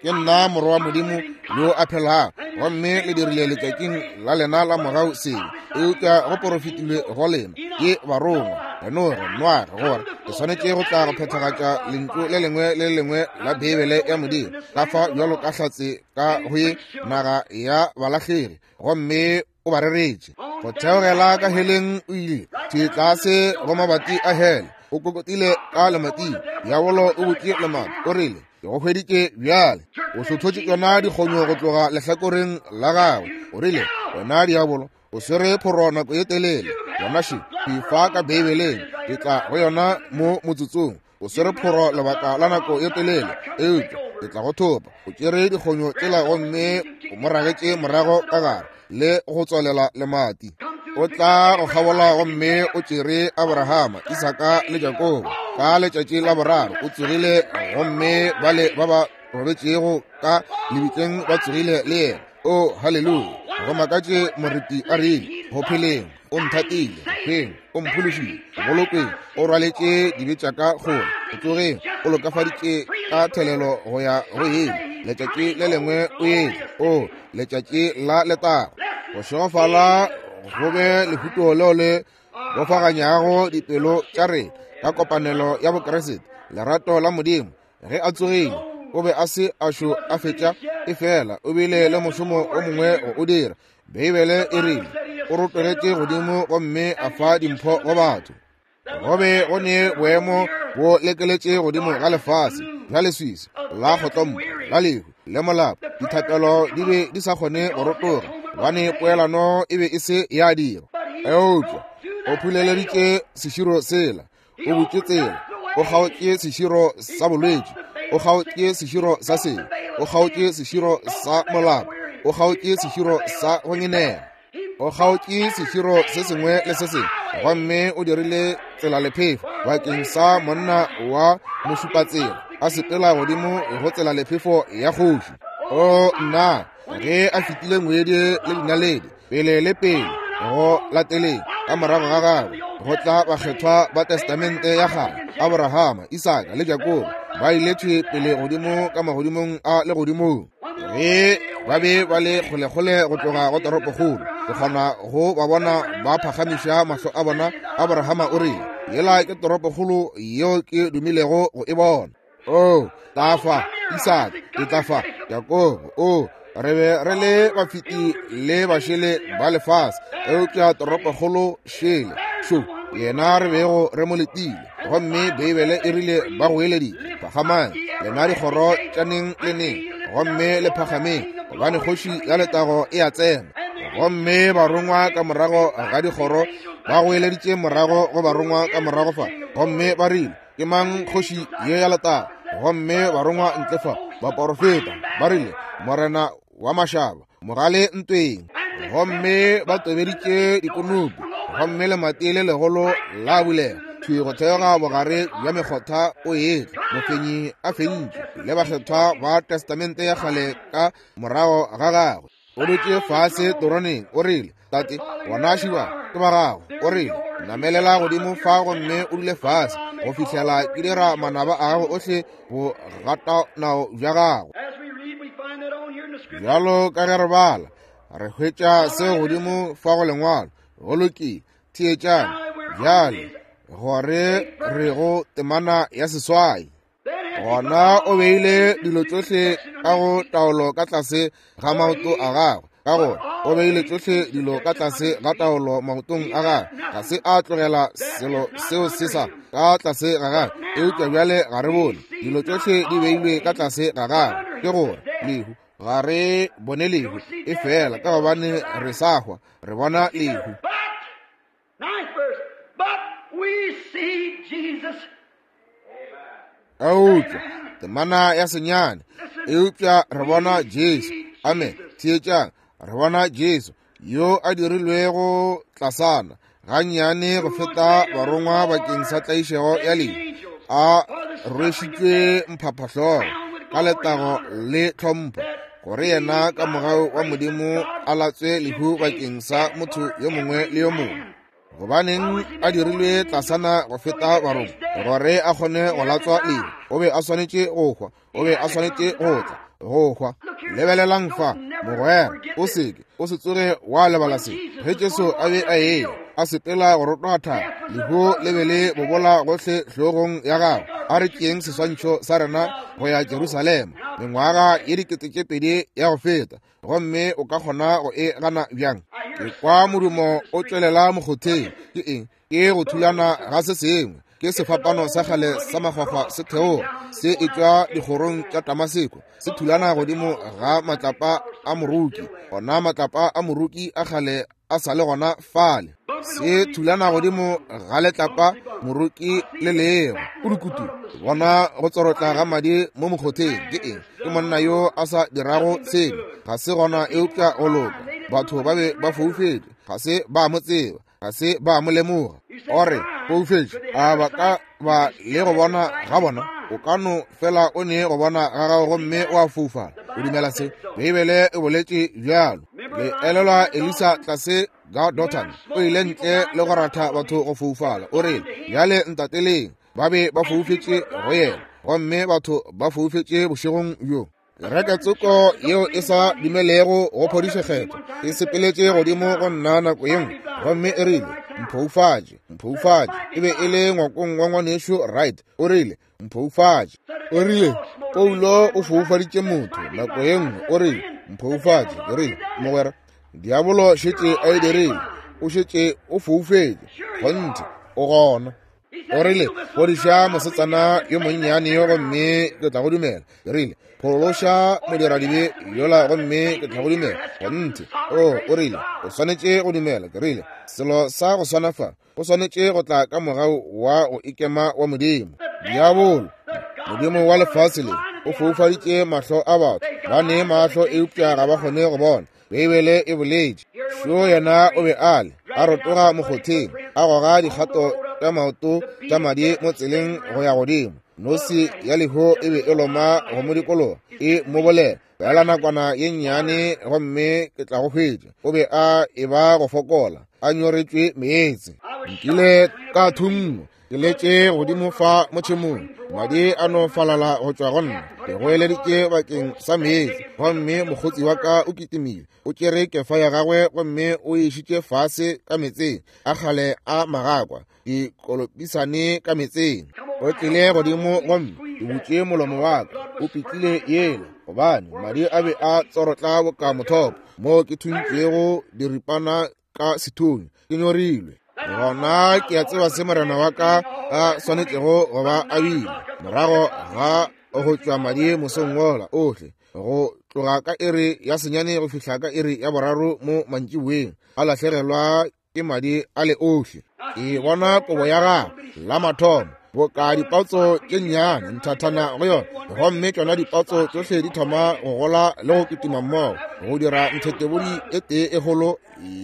Ke nna morwa wa Modimo yo a phelago, gomme le dirile letšatšing la lena la mogau sebe, eupša go porofetilwe go lena ke barongwa, Henoge, Noage, gore ke swanetše go tla go phethagatša lentšu le lengwe le le lengwe la Beibele ya Modimo, ka fa bjalo ka hlatse ka go ye naga ya balahlegi, gomme o ba reretše. Go theogela ka heleng o ile thwi tlase go mabati a hele, o kokotile ka lemating, diabolo o butše lemati, o rile, ke go hweditše bjale. O hlothotše tšona dikgonyo go tloga lehlakoreng la gagwe, o rile, wena diabolo, o swere phoro nako ye telele. Yona še, ke fa ka Beibeleng, ke tla go yona mo motsotsong. O swere phoro lebaka la nako ye telele, eupša ke tla go thopa. O tšere dikgonyo tšela gomme o mo ragetše morago ka gare le go tswalela lemati. O tla go kgabola gomme o tšere Abrahama, Isaka le Jakobo. Ka letšatši la boraro o tsogile, gomme bale ba ba robetšego ka lebitleng ba tsogile le yena. O, haleluya! Go makatše moreti a rile, go pheleng o nthatile, go hweng o mphološile, go bolokweng o rwaletše dibe tša ka kgole, go tsogeng o lokafaditše ka thelelo go ya go ile. Letšatši le lengwe o etla, o letšatši la letago. Go šegofala go be lehuto leo le bofaganyago dipelo tša rena ka kopanelo ya Bokriste, lerato la Modimo. Ge a tsogile, o be a se a šo a fetša, efela o bile le mošomo o mongwe go o dira. Beibele e rile o rotogetše godimo gomme a fa dimpho go batho. Go be go ne boemo bo lekeletše godimo ga lefase la leswiswi, la kgotlompo, la lehu le molapo. Dithapelo di be di sa kgone go rotoga, gobane poelano e be e se ya dirwa. Eupša o phuleleditše seširo sela, o butše tsela, o kgaotše seširo sa bolwetši, o kgaotše seširo sa sebe, o kgaotše seširo sa molapo, o kgaotše seširo sa go ngenela, o kgaotše seširo se sengwe le se sengwe. Gomme o dirile tselalephefo bakeng sa monna wa mošupatsela a sepela godimo go tselalephefo ya kgoši. O nna, ge a fetile ngwedi le dinaledi pele le pele go lateleng ka morago ga gagwe go tla bakgethwa ba Testamente ya kgale, Aborahama, Isaka le Jakobo, ba ile thwi pele godimo ka magodimong a legodimong. Ge ba be ba le kgolekgole go tloga go toropokgolo, ke kgona go ba bona ba phagamiša mahlo a bona. Aborahama o rile, Yela ke toropokgolo yeo ke dumilego go e bona. O tla fa Isaka, ke tla fa Jakobo. O re be re le bafeti le bašele ba lefase, eupša toropokgolo šele šo yena re bego re mo letile. Gomme Beibele e rile ba goeleditše, Phagamang lena dikgoro tša neng le neng, gomme le phagameng, gobane kgoši ya letago e a tsena. Gomme barongwa ka morago ga dikgoro ba goeleditše morago go barongwa ka morago fa, gomme ba rile, Ke mang kgoši ye ya letago? Gomme barongwa ntle fa, baporofeta, ba rile, Morena wa mašaba, mogale ntweng. Gomme ba tobeditše dikonopi, gomme lemati le legolo la bulega thwi go theoga bogare bja mekgotha o etla, mofenyi a fentše, le bakgethwa ba Testamente ya kgale ka morago ga gagwe. O dutše fase toroneng, o rile, Tate, bona šiba ke ba gago. O rile, Namelela godimo fa gomme o dule fase go fihlela ke dira manaba a gago ohle go gata nao bja gago. Bjalo ka ge re bala, re hwetša seo godimo fa go lengwalo. Go lokile, theetšang bjale gore re go temana ya seswai. Gona o beile dilo tšohle ka go taolo ka tlase ga maoto a gagwe, ka gore o beile tšohle dilo ka tlase ga taolo maotong a gagwe. Ga se a tlogela selo seo se sa ka tlase ga gagwe, eupša bjale ga re bone dilo tšohle di beilwe ka tlase ga gagwe, ke gore lehu. Ga re bone lehu, e fela ka gobane re sa hwa, re bona lehu. Eupša temana ya senyane, eupša re bona Jesu. Amen. Theetšang, re bona Jesu yo a dirilwego tlasana gannyane go feta barongwa bakeng sa tlaišego ya lehu, a rwešitšwe mphaphahlogo ka letago le tlhompho, gore yena ka mogau wa Modimo a latswe lehu bakeng sa motho yo mongwe le yo mongwe. Gobaneng a dirilwe tlasana go feta barongwa? Gore a kgone go latswa lehu. O be a swanetše go hwa, o be a swanetše go tla go hwa. Lebelelang fa, mogwera, o seke, o se tsoge wa lebala se. Ge Jesu a be a eya a sepela go rotoga thaba, lehu le be le bobola gohle hlogong ya gagwe. A re tšeeng seswantšho sa rena go ya Jerusalema, mengwaga ye 2000 ya go feta, gomme o ka kgona go e gana bjang? Ke kwa modumo o tšwelela mokgotheng. Ke eng? Ke go thulana ga se sengwe. Ke sefapano sa kgale sa makgwakgwa se theoga se etšwa dikgorong tša Damaseko, se thulana godimo ga matlapa a moroki. Ona matlapa a moroki a kgale a sa le gona fale, se thulana godimo ga letlapa moroki le lego kudukutu. Bona go tsorotla ga madi mo mokgotheng. Ke eng? Ke monna yo a sa dirago sebe, ga se gona eupša go loka. Batho ba be ba foufetše, ga se ba mo tseba, ga se ba mo lemoga. O re foufetše, a ba ka ba le go bona ga bona? O ka no fela o ne go bona ga gago gomme wa foufala. O dumela se? Beibele e boletše bjalo. Le elelwa Elisa tlase ga Dothan, o ile ntle le go ratha batho go foufala. O rile, Bjale ntateleng. Ba be ba foufetše go yena, gomme batho ba foufetše bošegong bjo. Kereke tsoko yeo e sa dumelego go phodišo kgethwa e sepeletše godimo go nna nako ye nngwe, gomme e rile, Mphoufatše, mphoufatše. E be e le ngwakong wa ngwanešu Wright. O rile, Mphoufatše. O rile, Paulo o foufaditše motho nako ye nngwe. O rile, Mphoufatše. Ke rile, Mogwera, diabolo šetše a e dirile. O šetše o foufetše. Kgonthe, o gona. O rile, Fodiša mosetsana yo monnyane yo gomme ke tla go dumela. Ke rile, Phološa modiradibe yola gomme ke tla go dumela. Kgonthe. O, o rile, O swanetše go dumela. Ke rile, Selo sa go swana fa, o swanetše go tla ka mogau wa go ikema wa Modimo. Diabolo, modimo wa lefase le, o foufaditše mahlo a batho. Ba ne mahlo eupša ga ba kgone go bona. Beibele e boletše. Šo yena o be a le, a rotoga mokgotheng, a goga dikgato tša maoto tša madi mo tseleng go ya godimo. Nosi ya lehu e be e loma go mo dikologa, e mo bolela, Feela nakwana ye nnyane gomme ke tla go hwetša. O be a eba go fokola, a nyoretšwe meetse. Nkile ka thunngwa, ke letše godimo fa mo tšhemong, madi a no falala go tšwa go nna. Ke goeleditše bakeng sa meetse, gomme mokgotsi wa ka o kitimile, o tšere kefa ya gagwe gomme o e išitše fase ka meetseng a kgale a magakwa, dikolopisane ka meetseng. O tlile godimo gomme ke butše molomo wa ka, o pitlile yela, gobane madi a be a tsorotla boka mothopo moo ke thuntšwego diripana ka sethunya, ke nyorilwe. Gona ke a tseba se morena wa ka a swanetšego go ba a bile morago ga go tšwa madi mosong wola ohle, go tloga ka iri ya 9 go fihla ka iri ya 3 mo mantšiboeng, a lahlegelwa ke madi a le ohle. Ke bona kobo ya gagwe la mathomo boka dipatso tše nnyane nthathana go yona, gomme tšona dipatso tšohle di thoma go gola le go kitima mmogo go dira nthetebodi e tee e kgolo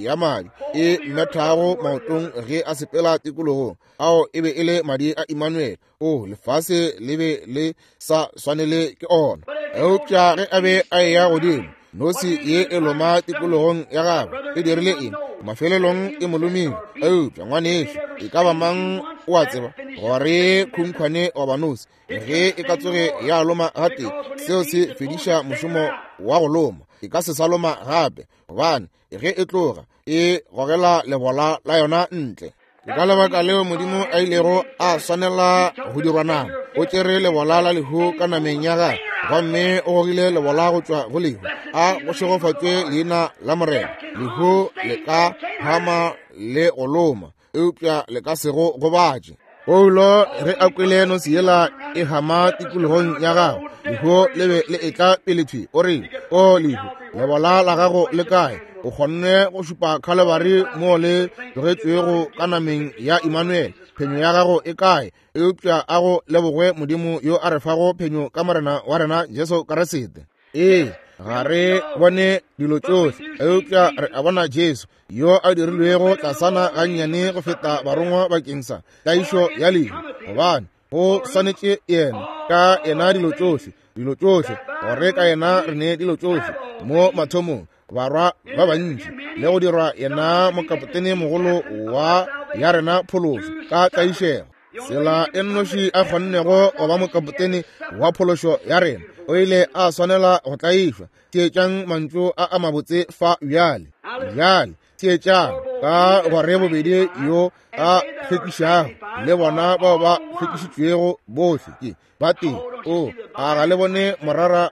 ya madi e methago maotong ge a sepela tikologong. Ao e be e le madi a Immanuel. O, lefase le be le sa swanele ke ona. Eupša ge a be a eya godimo, nosi ye e loma tikologong ya gagwe e dirile eng? Mafelelong e mo lomile. Eupša ngwanešu, e ka ba mang o a tseba gore khunkhwane goba nosi ge e ka tsoge ya loma gatee, seo se fediša mošomo wa go loma. E ka se sa loma gape, gobane ge e tloga e gogela lebola la yona ntle. Ke ka lebaka leo Modimo a ilego a swanela go dirwa nama. O tšere lebola la lehu ka nameng ya gagwe, gomme o gogile lebola go tšwa go lehu. A go šegofatšwe leina la Morena. Lehu le ka hama le go loma, eupša le ka se go gobatše. Paulo ge a kwele nosi yela e hama tikologong ya gagwe, lehu le be le etla pele thwi. O rile, O lehu, lebola la gago le kae? O kgonne go šupa Khalebari moo le tlogetšwego ka nameng ya Immanuel. Phenyo ya gago e kae? Eupša a go lebogwe Modimo yo a re fago phenyo ka Morena wa rena Jesu Kriste. Ee, ga re bone dilo tšohle, eupša re a bona Jesu yo a dirilwego tlasana gannyane go feta barongwa bakeng sa tlaišo ya lehu, gobane go swanetše yena ka yena dilo tšohle, dilo tšohle, gore ka yena re ne dilo tšohle mo mathomong, barwa ba bantši, le go dirwa yena mokapotene mogolo wa ya rena phološo ka tlaišego. Tsela e nnoši a kgonnego go ba mokapotene wa phološo ya rena, o ile a swanela go tlaišwa. Theetšang mantšu a a mabotse fa bjale. Bjale theetšang, ka gore bobedi yo a hlwekišago le bona bao ba hlwekišitšwego bohle ke ba tee. O a ga le bone morara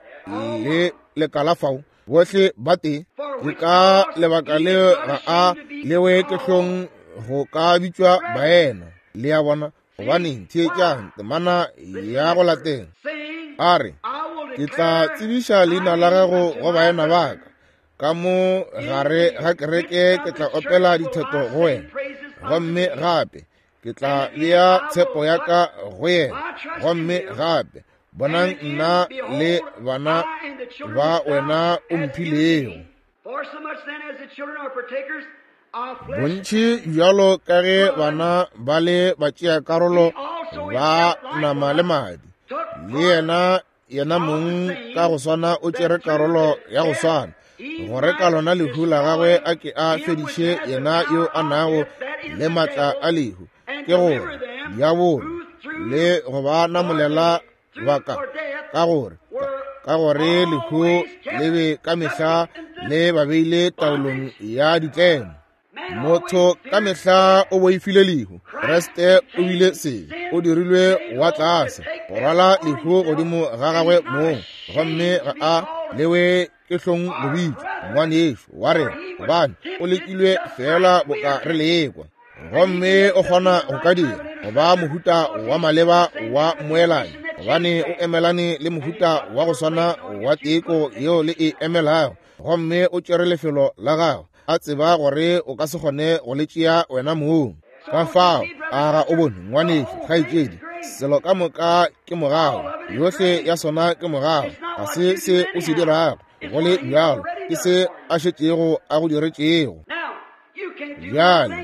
le lekala fao? Bohle ba tee. Ke ka lebaka le ga a lewe ke hlong go ka bitšwa baena. Le a bona? Gobaneng, theetšang temana ya go latela. A re, Ke tla tsebiša leina la gago go baena ba ka, ka mo gare ga kereke ke tla opela ditheto go wena. Gomme gape ke tla bea tshepo ya ka go yena. Gomme gape bonang nna le bana ba wena o mphilego. Bontši bjalo ka ge bana ba le batšeakarolo ba nama le madi, le yena yena mong ka go swana o tšere karolo ya go swana, gore ka lona lehu la gagwe a ke a fediše yena yo a nago le matla a lehu, ke gore diabolo, le go ba namolela ba ka, ka gore ka gore lehu le be ka mehla le ba beile taolong ya ditlemo. Motho ka mehla o boifile lehu. Kriste o bile sebe, o dirilwe wa tlase go rwala lehu godimo ga gagwe mong, gomme ga a lewe ke hlong go bitšwa ngwanešu wa rena, gobane o lekilwe feela boka re lekwa. Gomme o kgona go ka dira go ba mohuta wa maleba wa mmoelanyi, gobane o emelane le mohuta wa go swana wa teko yeo le e emelago, gomme o tšere lefelo la gago, a tseba gore o ka se kgone go le tšea wena mong. Ka fao, a ga o bone, ngwanešu, kgaetšedi, selo ka moka ke mogau, yohle ya sona ke mogau. Ga se se o se dirago, go le bjalo, ke se a šetšego a go diretšego. Bjale,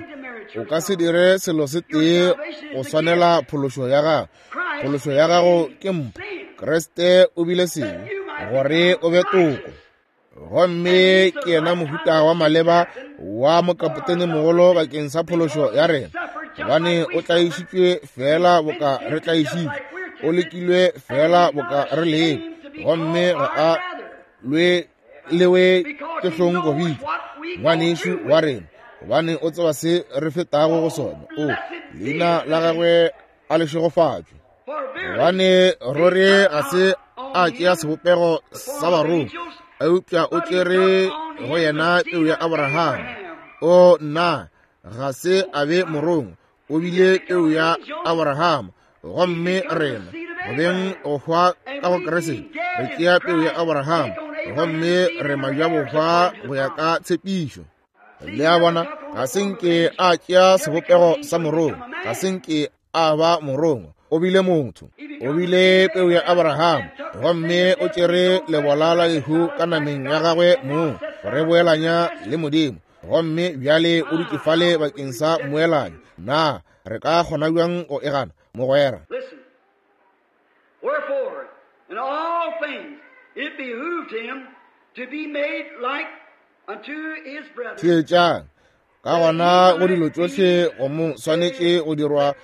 O ka se dire selo se tee go swanela phološo ya gago. Phološo ya gago ke mpho. Kriste o bile sebe gore o be toko. Gomme ke yena mohuta wa maleba wa mokapotene mogolo bakeng sa phološo ya rena, gobane o tlaišitšwe feela boka re tlaišitšwe, o lekilwe feela boka re lekwa, gomme ga a lwe lewe ke hlong go bitšwa ngwanešu wa rena, gobane o tseba se re fetago go sona. O leina la gagwe a le šegofatšwe, gobane ruri ga se a tšea sebopego sa barongwa, eupša o tšere go yena peu ya Abrahama. O nna, ga se a be morongwa, o bile peu ya Abrahama. Gomme rena go beng go hwa ka go Kriste, re tšea peu ya Abrahama, gomme re majabohwa go ya ka tshepišo. Le a bona, ga se nke a tšea sebopego sa morongwa, ga se nke a ba morongwa, o bile motho, o bile peu ya Abrahama, gomme o tšere lebola la lehu ka nameng ya gagwe mong go re boelanya le Modimo. Gomme bjale o dutše fale bakeng sa mmoelanyo. Na re ka kgona bjang go e gana, mogwera? Listen. Wherefore, in all things it behooved him to be made like unto his brethren. Theetšang. Ka gona go dilo tšohle go mo swanetše go dirwa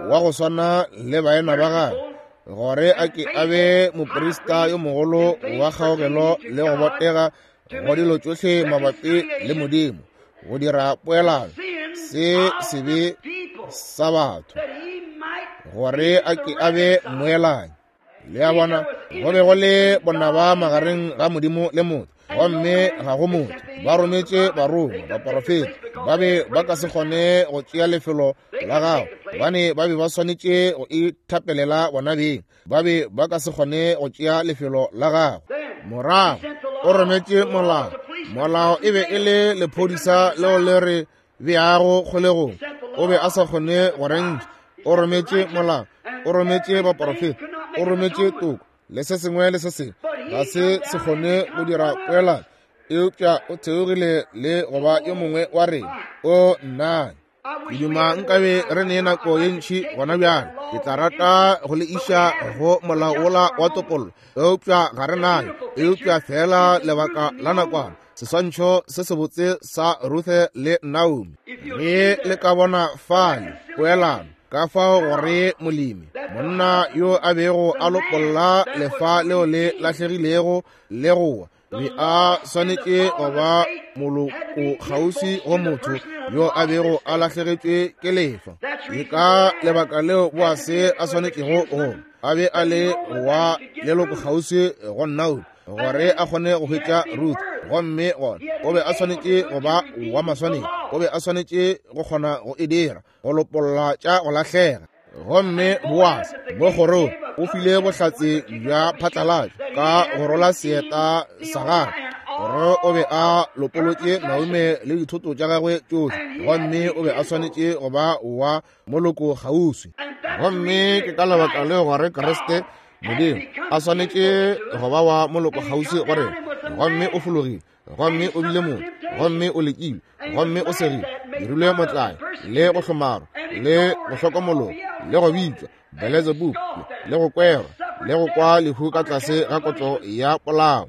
wa go swana le baena ba gagwe, gore a ke a be moprista yo mogolo wa kgaogelo le go botega go dilo tšohle mabapi le Modimo, go dira poelano se sebe sa batho, gore a ke a be mmoelanyi. Le a bona, go be go le bonaba magareng ga Modimo le motho, gomme ga go motho. Ba rometše barongwa, baporofeta, ba be ba ka se kgone go tšea lefelo la gago, gobane ba be ba swanetše go ithapelela bona beng. Ba be ba ka se kgone go tšea lefelo la gago. Morago o rometše molao. Molao e be e le lephodisa leo le re beago kgolegong. O be a sa kgone go re ntšha. O rometše molao, o rometše baporofeta, o rometše toko le se sengwe le se sengwe. Ga se se kgone go dira poelano, eupša o theogile le go ba yo mongwe wa rena. O nna ke duma nkabe re ne nako ye ntši gona bjale. Ke tla rata go le iša go molao wola wa topollo, eupša ga re nayo, eupša feela lebaka la nakwana. Seswantšho se sebotse sa Ruthe le Naomi, ge le ka bona fale poelano, ka fao gore molemi, monna yo a bego a lopolla lefa leo le lahlegilego le gowa, be a swanetše go ba moloko kgauswi go motho yo a bego a lahlegetšwe ke lefa. Ke ka lebaka leo Boase a swanetšego go a be a le wa leloko kgauswi go Naomi, gore a kgone go hwetša Ruth. Gomme gona o be a swanetše go ba wa maswanedi, o be a swanetše go kgona go e dira, go lopolla tša go lahlega. Gomme Boase mo kgorong o file bohlatse bja phatlalatšo ka go rola seeta sa gagwe, gore o be a lopolotše Naomi le dithoto tša gagwe tšohle, gomme o be a swanetše go ba wa moloko kgauswi. Gomme ke ka lebaka leo gore Kriste Modimo a swanetše go ba wa moloko kgauswi go rena. Gomme o fologile, gomme o bile motho, gomme o lekilwe, gomme o segile, dirilwe motlae, le go hlomarwa, le go hlokomologa, le go bitšwa Beelzebub, le go kwerwa, le go kwa lehu ka tlase ga kotlo ya polao.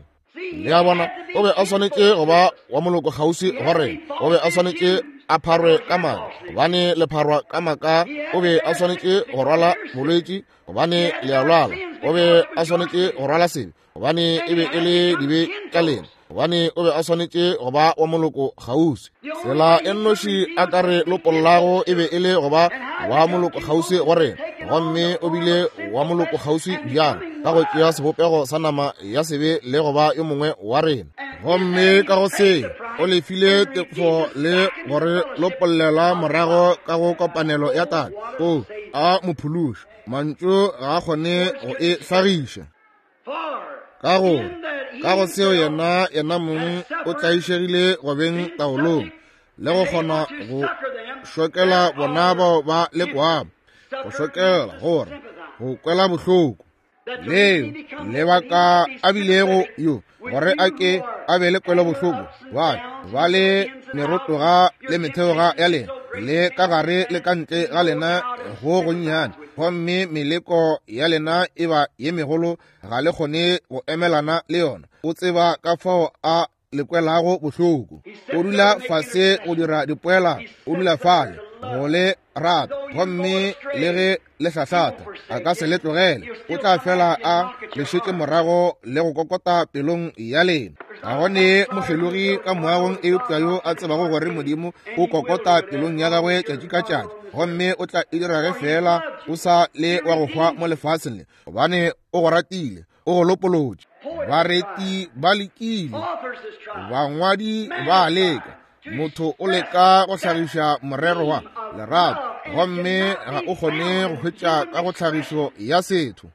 Le a bona, o be a swanetše go ba wa moloko kgauswi go rena. O be a swanetše a pharwe ka maka, gobane le pharwa ka maka. O be a swanetše go rwala bolwetši, gobane le a lwala. O be a swanetše go rwala sebe, gobane e be e le dibe tša lena, gobane o be a swanetše go ba wa moloko kgauswi. Tsela e nnoši a ka re lopollago e be e le go ba wa moloko kgauswi go rena, gomme o bile wa moloko kgauswi bjang? Ka go tšea sebopego sa nama ya sebe le go ba yo mongwe wa rena. Gomme ka go se o lefile tefo le go re lopollela morago ka go kopanelo ya Tate. O a mo phološa. Mantšu ga a kgone go e hlagiša. Ka gore ka go seo yena yena mong o tlaišegile go beng taolong le go kgona go šokela bona bao ba lekwago, go šokela gore go kwela bohloko leo lebaka a bilego yo, gore a ke a be le kwelo bohloko. Bjale ba le merotoga le metheoga ya lena. Le ka gare le ka ntle ga lena go gonnyane, gomme meleko ya lena e ba ye megolo, ga le kgone go emelana le yona. O tseba ka fao a le kwelago bohloko. O dula fase go dira dipoela, o dula fale go le rata, gomme le ge le hlahlata a ka se le tlogele. O tla fela a le šetše morago le go kokota pelong ya lena. Ga go ne mokgelogi ka moagong eupša yo a tsebago gore Modimo o kokota pelong ya gagwe tšatši ka tšatši, gomme o tla e dira ge fela o sa le wa go hwa mo lefaseng le, gobane o go ratile, o go lopolotše. Bareti ba lekile, bangwadi ba leka, motho o leka go hlagiša morero wa lerato, gomme ga o kgone go hwetša ka go tlhagišo ya setho.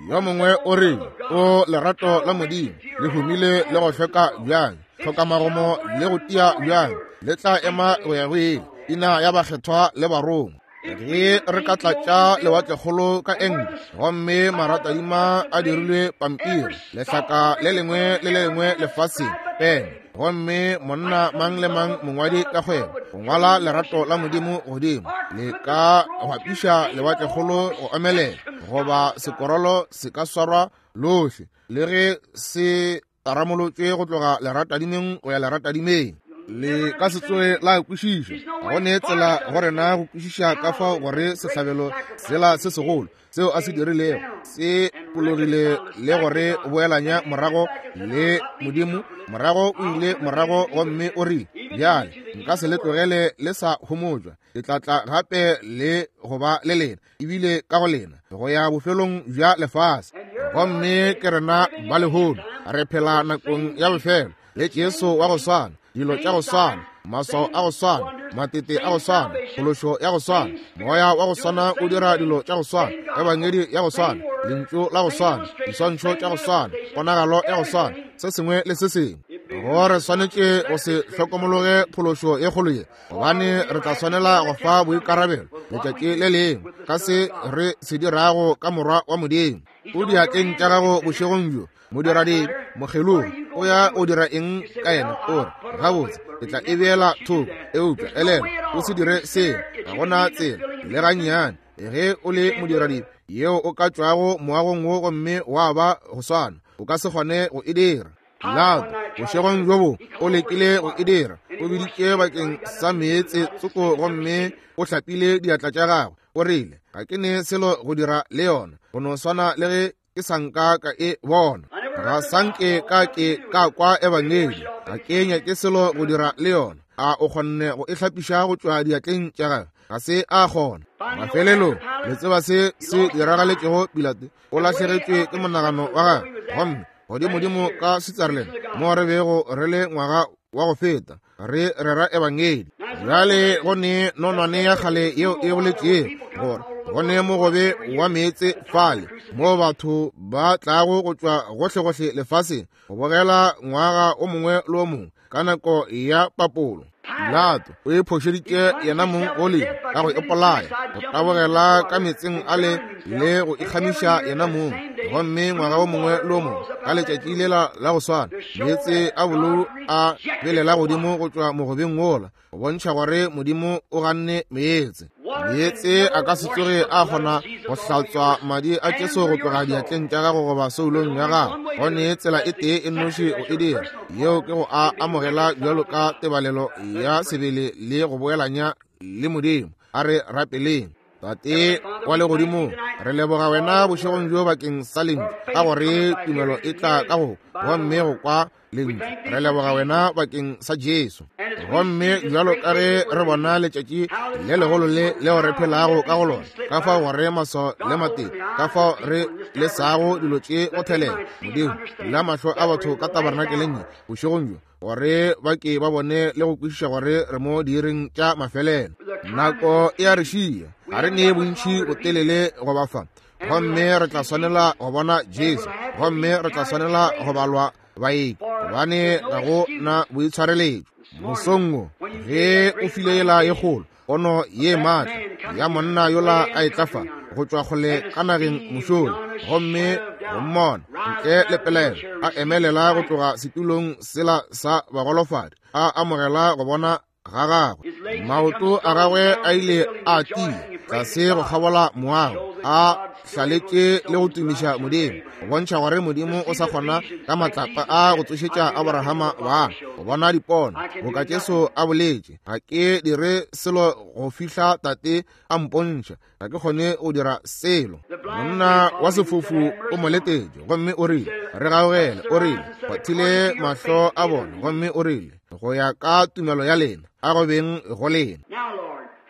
Yo mongwe o re, o lerato la Modimo le humile le go hlweka bjang, tlhokamagomo le go tia bjang, le tla ema go ya go ile, ina ya bakgethwa le barongwa. Ge re ka tlatša lewatlekgolo ka enke, gomme maratadima a dirilwe pampiri, lehlaka le lengwe le le lengwe lefaseng pene, gomme monna mang le mang mongwadi ka kgwebo go ngwala lerato la Modimo godimo, le ka gwapiša lewatlekgolo go omelela, goba sekorolo se ka swarwa lohle le ge se taramolotšwe go tloga leratadimeng go ya leratadimeng. Le ka se tsoge la kwešiša. Ga go ne tsela go rena go kwešiša ka fao gore sehlabelo sela se segolo seo a se dirilego se pologile le gore boelanya morago le Modimo. Morago o ile morago gomme o rile, Bjale nka se le tlogele le sa homotšwa, ke tla tla gape le go ba le lena, ebile ka go lena, go ya bofelong bja lefase. Gomme ke rena ba lehono, re phela nakong ya bofelo le Jesu wa go swana, dilo tša go swana, maswao a go swana, matete a go swana, phološo ya go swana, moya wa go swana o dira dilo tša go swana, ebangedi ya go swana, lentšu la go swana, diswantšho tša go swana, ponagalo ya go swana, se sengwe le se sengwe. Go re swanetše go se hlokomologe phološo ye kgolo ye, gobane re tla swanela go fa boikarabelo letšatši le lengwe ka se re se dirago ka Morwa wa Modimo. O diatleng tša gago bošegong bjo, modiradibe, mokgelogi, o ya o dira eng ka yena? O re, gabotse, ke tla e beela thoko. Eupša elelwa, o se dire seo. Ga go na tsela le gannyane ge o le modiradibe yeo o ka tšwago moagong wo gomme wa ba go swana. O ka se kgone go e dira. Pilato bošegong bjo bo o lekile go e dira. O biditše bakeng sa meetse tsoko gomme o hlapile diatla tša gagwe. O rile, ga ke ne selo go dira le yona, go no swana le ge ke sa nka ka e bona. Ga sa nke ka ke ka kwa ebangedi, ga ke nyake selo go dira le yona. A o kgonne go e hlapiša go tšwa diatleng tša gagwe? Ga se a kgona. Mafelelong, le tseba se se diragaletšego Pilato? O lahlegetšwe ke monagano wa gagwe. Gomme godimodimo ka Switzerland, mo re bego re le ngwaga wa go feta re rera ebangedi, bjale go ne nonwane ya kgale yeo e boletšego gore go ne mogobe wa meetse fale mo batho ba tlago go tšwa gohlegohle lefaseng go bogela ngwaga o mongwe le o mongwe ka nako ya papolo. Pilato o iphošeditše yena mong go lehu ka go ipolaya, go tabogela ka meetseng a le le go ikgamiša yena mong. Gomme ngwaga o mongwe le o mongwe ka letšatši lela la go swana, meetse a bolou a belela godimo go tšwa mogobeng wola, go bontšha gore Modimo o ganne meetse. Meetse a ka se tsoge a kgona go hlatswa madi a Jesu go tloga diatleng tša gago goba soulong ya gago. Go ne tsela e tee e nnoši go e dira, yeo ke go a amogela bjalo ka tebalelo ya sebele le go boelanya le Modimo. A re rapeleng. Tate wa legodimong, re leboga wena bošegong bjo bakeng sa lentšu, ka gore tumelo e tla ka go gomme go kwa lentšu. Re leboga wena bakeng sa Jesu. Gomme bjalo ka ge re bona letšatši le legolo le leo re phelago ka go lona, ka fao gore maswao le matete, ka fao re lesago dilo tše go thelela, Modimo, bula mahlo a batho ka tabernakeleng ye bošegong bjo, gore ba ke ba bone le go kwešiša gore re mo diiring tša mafelelo. Nako e a re šia, ga re nee bontši botelele go ba fa, gomme re tla swanela go bona Jesu, gomme re tla swanela go balwa baeki, gobane ga go na boitshwareletšo. Mosong wo, ge o file yela ye kgolo, pono ye maatla ya monna yola a etla fa go tšwa kgole ka nageng mošola, gomme go mmona ntle le pelaelo a emelela go tloga setulong sela sa bagolofadi, a amogela go bona. ga gagwe. Maoto a gagwe a ile a tia tlase go kgabola moago, a hlaletše le go tumiša Modimo, go bontšha gore Modimo o sa kgona ka matlapa a go tsošetša Aborahama bana, go bona dipono, boka Jesu a boletše, ga ke dire selo go fihla Tate a mpontšha, ga ke kgone go dira selo. Monna wa sefofu o mo letetše, gomme o rile, re gaogele, o rile, kgwathile mahlo a bona, gomme o rile, go ya ka tumelo ya lena, a go beng go lena.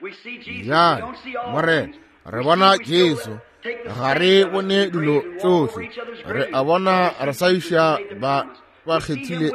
Bjale, Morena, re bona Jesu, ga re bone dilo tšohle, re a bona re sa iša ba ba kgethile.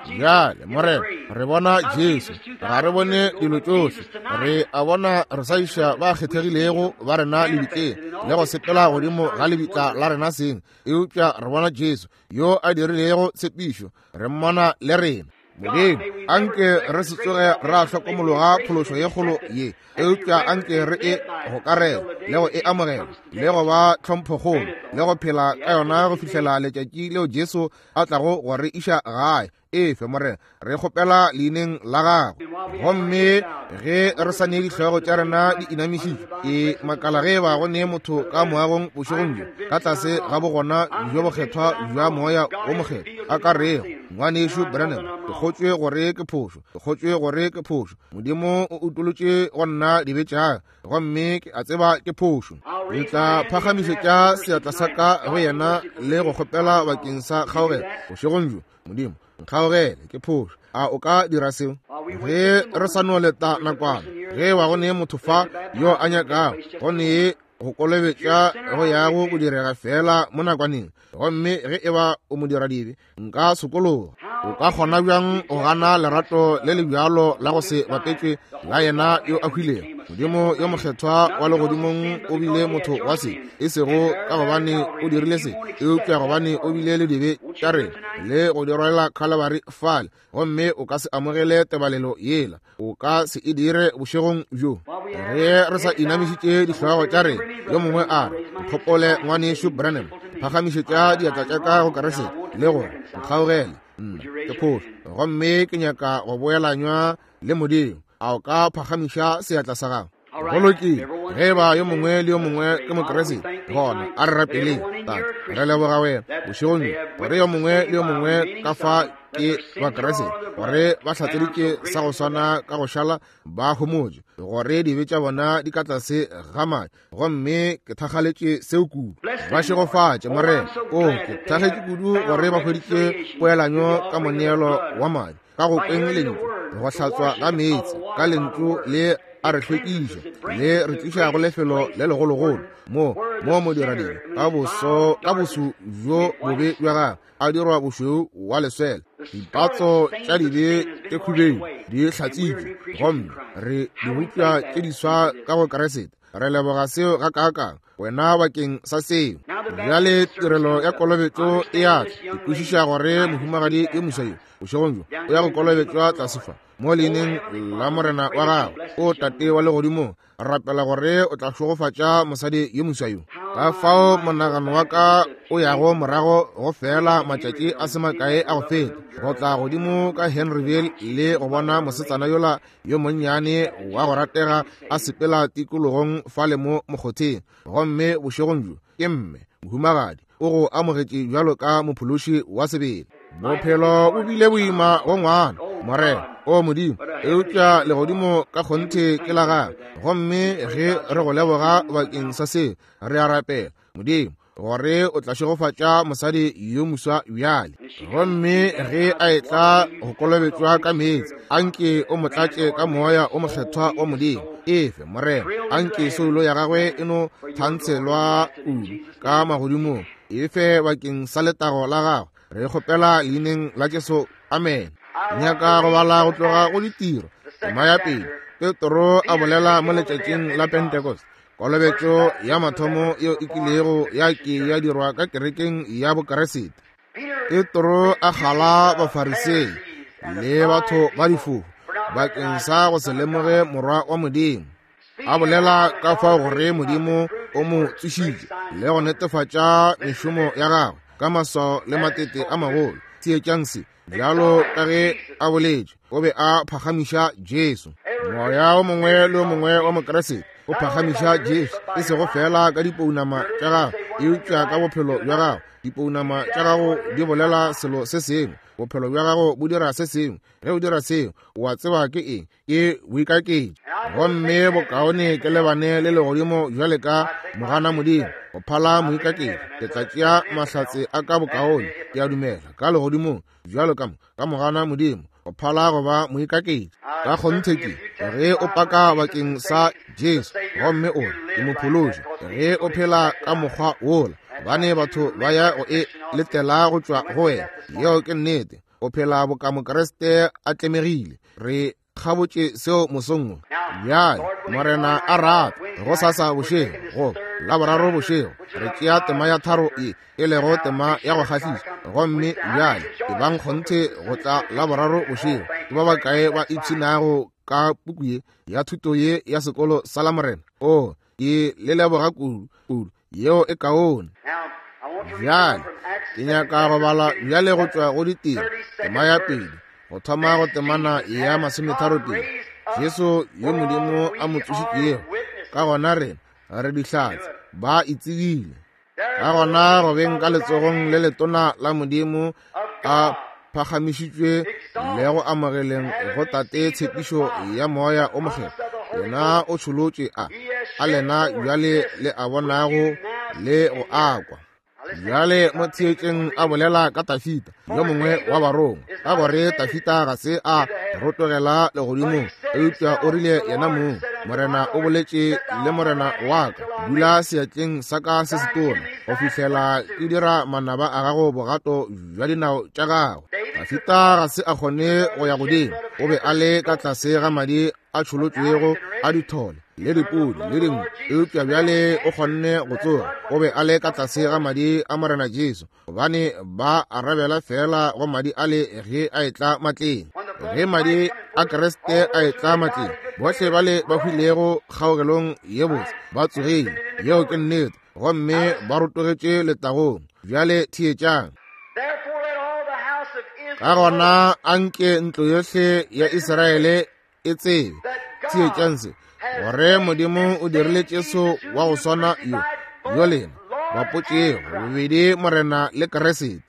Bjale, Morena, re bona Jesu, ga re bone dilo tšohle, re a bona re sa iša ba kgethegilego ba rena lebitleng le go sepela godimo ga lebitla la rena seng, eupša re bona Jesu yo a dirilego tshepišo, re mmona le rena. Modimo, anke re se tsoge ra hlokomologa phološo ye kgolo ye, eupša anke re e gokarele le go e amogela le go ba tlhomphokgolo le go phela ka yona go fihlela letšatši leo Jesu a tlago go re iša gae. Efe, Morena, re kgopela leineng la gago. Gomme ge re sa ne dihlogo tša rena di inamišitšwe, ke makala ge eba go ne motho ka moagong bošegong bjo, ka tlase ga bogona bjo bokgethwa bja Moya wo Mokgethwa, a ka rego, Ngwanešu Branham, ke kgotšwe gore ke phošo, ke kgotšwe gore ke phošo. Modimo o utolotše go nna dibe tša ka, gomme ke a tseba ke phošo. Ke tla phagamišetša seatla sa ka go yena le go kgopela bakeng sa kgaogelo bošegong bjo. Modimo, nkgaogele, ke phošo. A o ka dira seo? Ge re sa no leta nakwana, ge wa go ne motho fa yo a nyakago go ne go kolobetša go yago go direga feela mo nakwaneng, gomme ge e ba o modiradibe, nka sokologa. O ka kgona bjang go gana lerato le le bjalo la go se bapetšwe la yena yo a hwilego? Modimo yo mokgethwa wa legodimong o bile motho wa se, e sego ka gobane o dirile se, eupša gobane o bile le dibe tša rena le go di rwalela Khalabari fale. Gomme o ka se amogele tebalelo yela, o ka se e dire bošegong bjo. Ge re sa inamišitše dihlogo tša rena, yo mongwe a re, Nkgopole, Ngwanešu Branham, phagamišetša diatla tša ka go Keresete le gore nkgaogele, nna ke phošo, gomme ke nyaka go boelanywa le Modimo. A o ka phagamiša seatla sa gago? Go lokile. Ge eba yo mongwe le yo mongwe ke Mokriste, gona a re rapeleng. Tate, re leboga wena bošegong bjo gore yo mongwe le yo mongwe ka fa ke Bakriste, gore ba hlatseditše sa go swana ka go šala ba homotše, gore dibe tša bona di ka tlase ga madi, gomme ke thakgaletše seo kudu. Ba šegofatše, Morena. O, ke thakgetše kudu gore ba hweditše poelanyo ka moneelo wa madi, ka go kweng lentšu, go hlatswa ga meetse ka lentšu le a re hlwekiša, le re tliša go lefelo le legologolo mo mo modiradibe ka boso ka boso bjo bobe bja gagwe a dirwa bošweu wa leswele. Dipatso tša dibe tše khubedu di hlatsitšwe, gomme re dibopša tše diswa ka go Keresete. Re leboga seo gakaakang wena bakeng sa seo. Bjale tirelo ya kolobetšo e a tla. Ke kwešiša gore mohumagadi yo moswa yo bošegong bjo o ya go kolobetšwa tlase fa mo leineng la Morena wa gagwe. O Tate wa legodimong, rapela gore o tla šegofatša mosadi yo moswa yo. Ka fao monagano wa ka o yago morago go fela matšatši a se makae a go feta, go tla godimo ka Henryville le go bona mosetsana yola yo monnyane wa go ratega a sepela tikologong fale mo mokgotheng. Gomme bošegong bjo ke mme mohumagadi o go amogetše bjalo ka mophološi wa sebele. Bophelo bo bile boima go ngwana, Morena, o Modimo, eupša legodimo ka kgonthe ke la gagwe. Gomme ge re go leboga bakeng sa seo, re a rapela, Modimo, gore o tla šegofatša mosadi yo moswa bjale. Gomme ge a etla go kolobetšwa ka meetse, anke o mo tlatše ka Moya o Mokgethwa wa Modimo. Efe, Morena, anke soulo ya gagwe e no thantshelwa kudu ka magodimong. Efe bakeng sa letago la gagwe. Re kgopela leineng la Jesu. Amen. Nyaka go bala go tloga go Ditiro, tema ya pele. Petro a bolela mo letšatšing la Pentecost, kolobetšo ya mathomo yeo e kilego ya ke ya dirwa ka kerekeng ya Bokeresete. Petro a kgala Bafarisei le batho ba difofu bakeng sa go se lemoge Morwa wa Modimo, a bolela ka fao gore Modimo o mo tsošitše le go netefatša mešomo ya gagwe ka maswao le matete a magolo. Theetšang se. Bjalo ka ge a boletše, o be a phagamiša Jesu. Moya o mongwe le o mongwe wa Mokriste o phagamiša Jesu, e sego feela ka dipounama tša gago, eupša ka bophelo bja gago. Dipounama tša gago di bolela selo se sengwe, bophelo bja gago bo dira se sengwe. Ge o dira seo, o a tseba ke eng? Ke boikaketši. Gomme bokaone ke lebane le legodimo bjale ka mogana Modimo go phala moikaketši. Ke tla tšea mahlatse a ka bokaone, ke a dumela, ka legodimong bjalo ka ka mogana Modimo go phala go ba moikaketši. Ka kgonthe ke ge o paka bakeng sa Jesu gomme o re ke mophološi, ge o phela ka mokgwa wola, gobane batho ba ya go e letela go tšwa go wena. Yeo ke nnete. O phela boka Mokriste a tlemegile. Re kgabotše seo mosong wo. Bjale, Morena a rata, gosasa bošego, go Laboraro bošego, re tšea tema ya tharo ye, e lego tema ya go kgahliša. Gomme bjale, ebang kgonthe go tla Laboraro bošego. Ke ba bakae ba ipshinago ka puku ye ya thuto ye ya sekolo sa Lamorena? Oo, ke le leboga kudu, kudu. Yeo e kaone. Bjale ke nyaka go bala bjale go tšwa go Ditiro, tema ya pele, go thoma go temana ya masometharopedi. Jesu yo Modimo a mo tsošitšego, ka gona rena re dihlatse, ba e tsebile. Ka gona go beng ka letsogong le letona la Modimo a phagamišitšwe le go amogeleng go Tate tshepišo ya Moya o Mokgethwa, yena o tšholotše a a lena bjale le a bonago le go a kwa. Bjale mo theetšeng a bolela ka Tafita, yo mongwe wa barongwa, ka gore Tafita ga se a rotogela legodimong, eupša o rile yena mong, Morena o boletše le Morena wa ka, dula seatleng sa ka se setona go fihlela ke dira manaba a gago bogato bja dinao tša gago. Dafita ga se a kgone go ya godimo, o be a le ka tlase ga madi a tšholotšwego a dithole le dipudi le dingwe, eupša bjale o kgonne go tsoga. O be a le ka tlase ga madi a Morena Jesu, gobane ba arabela feela go madi ale ge a etla matleng. Ge madi a Kriste a etla matleng, bohle bale ba hwilego kgaogelong ye botse ba tsogile. Yeo ke nnete. Gomme ba rotogetše letagong. Bjale theetšang. Ka gona anke ntlo yohle ya Israele e tsebe, theetšang se, gore Modimo o dirile Jesu wa go swana yo, yo lena bapotšego bobedi Morena le Kriste.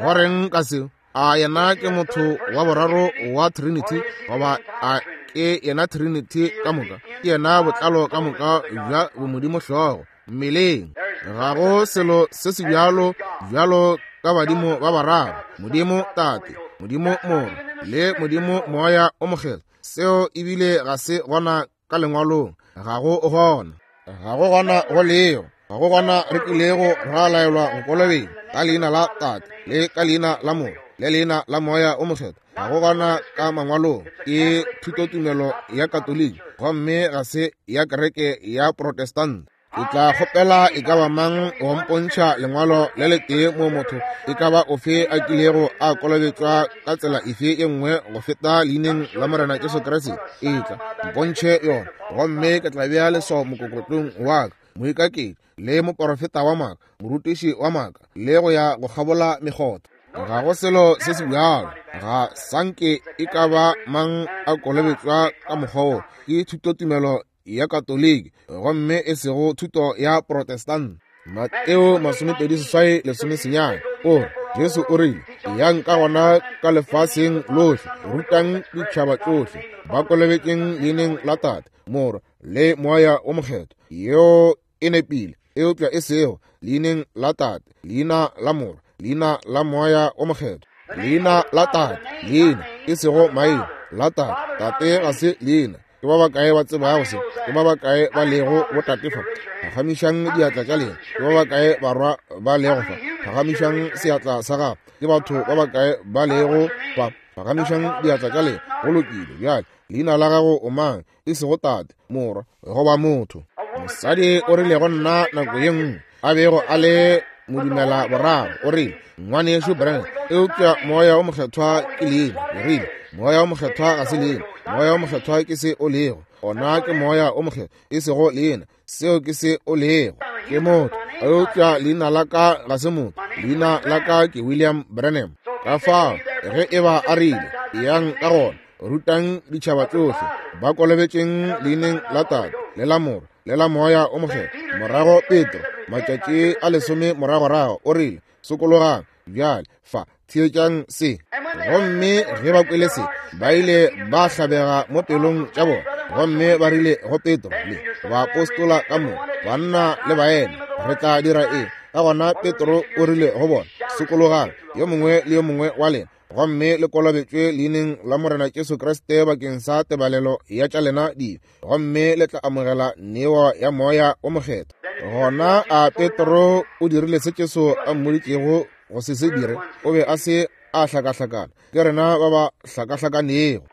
Go reng ka seo? A yena ke motho wa boraro wa Trinity, goba a ke yena Trinity ka moka? Ke yena botlalo ka moka bja bomodimo hlogo mmeleng. Ga go selo se se bjalo bjalo ka badimo ba bararo, Modimo Tate, Modimo Morwa, le Modimo Moya o Mokgethwa. Seo ebile ga se gona ka lengwalong, ga go gona. Ga go gona go lego, ga go gona re kilego ra laelwa go kolobetša ka leina la Tate le ka leina la Morwa le leina la Moya o Mokgethwa. Ga go gona ka mangwalong. Ke thutotumelo ya Katoliki gomme ga se ya kereke ya Protestant. Ke tla kgopela e ka ba mang go mpontšha lengwalo le letee mo motho e ka ba ofe a kilego a kolobetšwa ka tsela efe ye nngwe go feta leineng la Morena Jesu Kriste. Etla, mpontšhe yona, gomme ke tla bea leswao mokokotlong wa ka, moikaketši le moporofeta wa maaka, morutiši wa maaka, le go ya go kgabola mekgotha. Ga go selo se se bjalo. Ga sanke e ka ba mang a kolobetšwa ka mokgwa wo. Ke thutotumelo ya Katoliki gomme e sego thuto ya Protestant. Mateo 28:19 o re, Jesu o rile, Yang ka gona ka lefaseng lohle, rutang ditšhaba tšohle, ba kolobetšeng leineng la Tate, Morwa le Moya o Mokgethwa. Yeo e nepile, eupša e sego leineng la Tate, leina la Morwa, leina la Moya o Mokgethwa. Leina la Tate, leina, e sego maina, la Tate. Tate ga se leina. Ke ba bakae ba tsebago se? Ke ba bakae ba lego botate fa? Phagamišang diatla tša lena. Ke ba bakae barwa ba lego fa? Phagamišang seatla sa gago. Ke batho ba bakae ba lego fa? Phagamišang diatla tša lena. Go lokile. Bjale, leina la gago o mang? E sego tate, morwa, goba motho. Mosadi o rile go nna nako ye nngwe, a bego a le modumela boraro, o rile, Ngwanešu Branham, eupša Moya wo Mokgethwa ke leina. Ke rile, Moya wo Mokgethwa ga se leina. Moya wo Mokgethwa ke se o lego. Ona ke Moya wo Mokgethwa, e sego leina. Seo ke se o lego. Ke motho, eupša leina la ka ga se motho. Leina la ka ke William Branham. Ka fao, Ge e ba a rile, Eyang ka gona, rutang ditšhaba tšohle, ba kolobetšeng leineng la Tate, le la Morwa, le la Moya o Mokgethwa. Morago Petro, matšatši a lesome moragorago, o rile, Sokologang bjale, fa, theetšang se. Gomme ge ba kwele se, ba ile ba hlabega mo pelong tša bona, gomme ba rile go Petro le baapostola ka moka, banna le baena, re tla dira eng? Ka gona Petro o rile go bona, Sokologang, yo mongwe le yo mongwe wa lena, gomme le kolobetšwe leineng la Morena Jesu Kriste bakeng sa tebalelo ya tša lena dibe, gomme le tla amogela neo ya Moya o Mokgethwa. Gona a Petro o dirile se Jesu a mmoditšego go se se dire? O be a se a hlakahlakana. Ke rena ba ba hlakahlakanego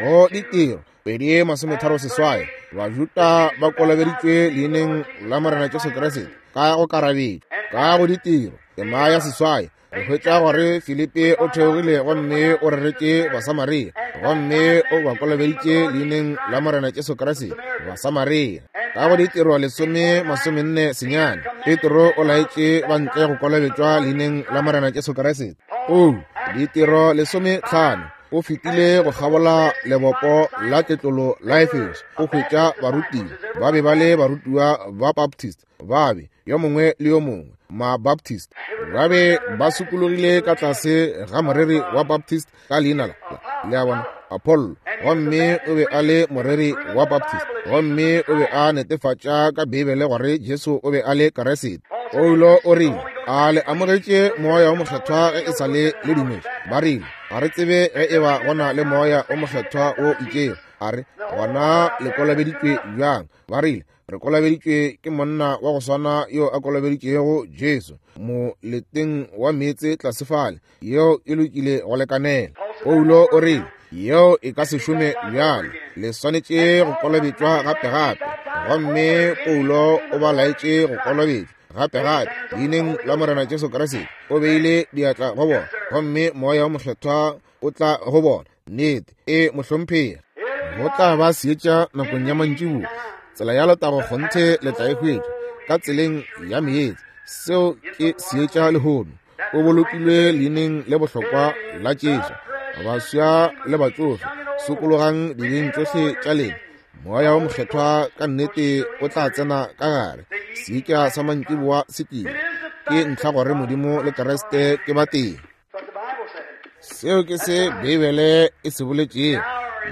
go ditiro 2:38. Bajuda ba kolobeditšwe leineng la Morena Jesu Kriste ka go karabetšwa ka go ditiro. Tema ya seswai re hwetša gore Filipi o theogile gomme o reretše Basamaria gomme o ba kolobeditše leineng la Morena Jesu Kriste Basamaria. Ka go ditiro 10:49 Petro o laetše ba ntle go kolobetšwa leineng la Morena Jesu Kriste. O ditiro 15 o fetile go kgabola lebopo la tletlolo la Efeso o hwetša barutiwa ba be ba le barutiwa ba Baptist ba be yo mongwe le yo mongwe ma-Baptist ba be ba sokologile ka tlase ga moreri wa Baptist ka leina la le a bona Apollo, gomme o be a le moreri wa Baptist, gomme o be a netefatša ka Beibele gore Jesu o be a le Keresete. Paulo o rile, a le amogetše Moya o Mokgethwa ge e sa le le dumetše? Ba rile, ga re tsebe ge e ba go na le Moya o Mokgethwa o itšego. A re, gona le kolobeditšwe bjang? Ba rile, re kolobeditšwe ke monna wa go swana yo a kolobeditšego Jesu moleteng wa meetse tlase fale. Yeo e lokile go lekanela. Paulo o rile, yeo e ka se šome bjale, le swanetše go kolobetšwa gape-gape. Gomme Paulo o ba laetše go kolobetšwa gape-gape leineng la Morena Jesu Kriste. O beile diatla go bona, gomme Moya o Mokgethwa o tla go bona. Nnete, e mohlomphegi. Go tla ba seetša nakong ya mantšiboa. Tsela ya letago kgonthe le tla e hwetša ka tseleng ya meetse. Seo ke seetša lehono. O bolokilwe leineng le bohlokwa la Jesu. Baswa le batsofe, sokologang dibeng tšohle tša lena. Moya wo Mokgethwa ka nnete o tla tsena ka gare. Seetša sa mantšiboa se tlile. Ke ntlha gore Modimo le Kriste ke batee. Seo ke se Beibele e se boletšego.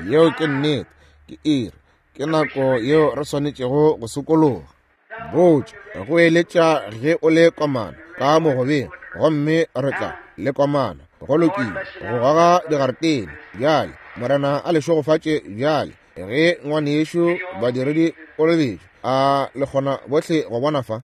Yeo ke nnete. Ke iri. Ke nako yeo re swanetšego go sokologa. Botša, go eletša ge o le komana ka mogobeng, gomme re tla le komana. Go lokile, go goga digaretene. Bjale, Morena a le šegofatše bjale. Ge ngwanešu badiredi kolobetšo, a le kgona bohle go bona fa?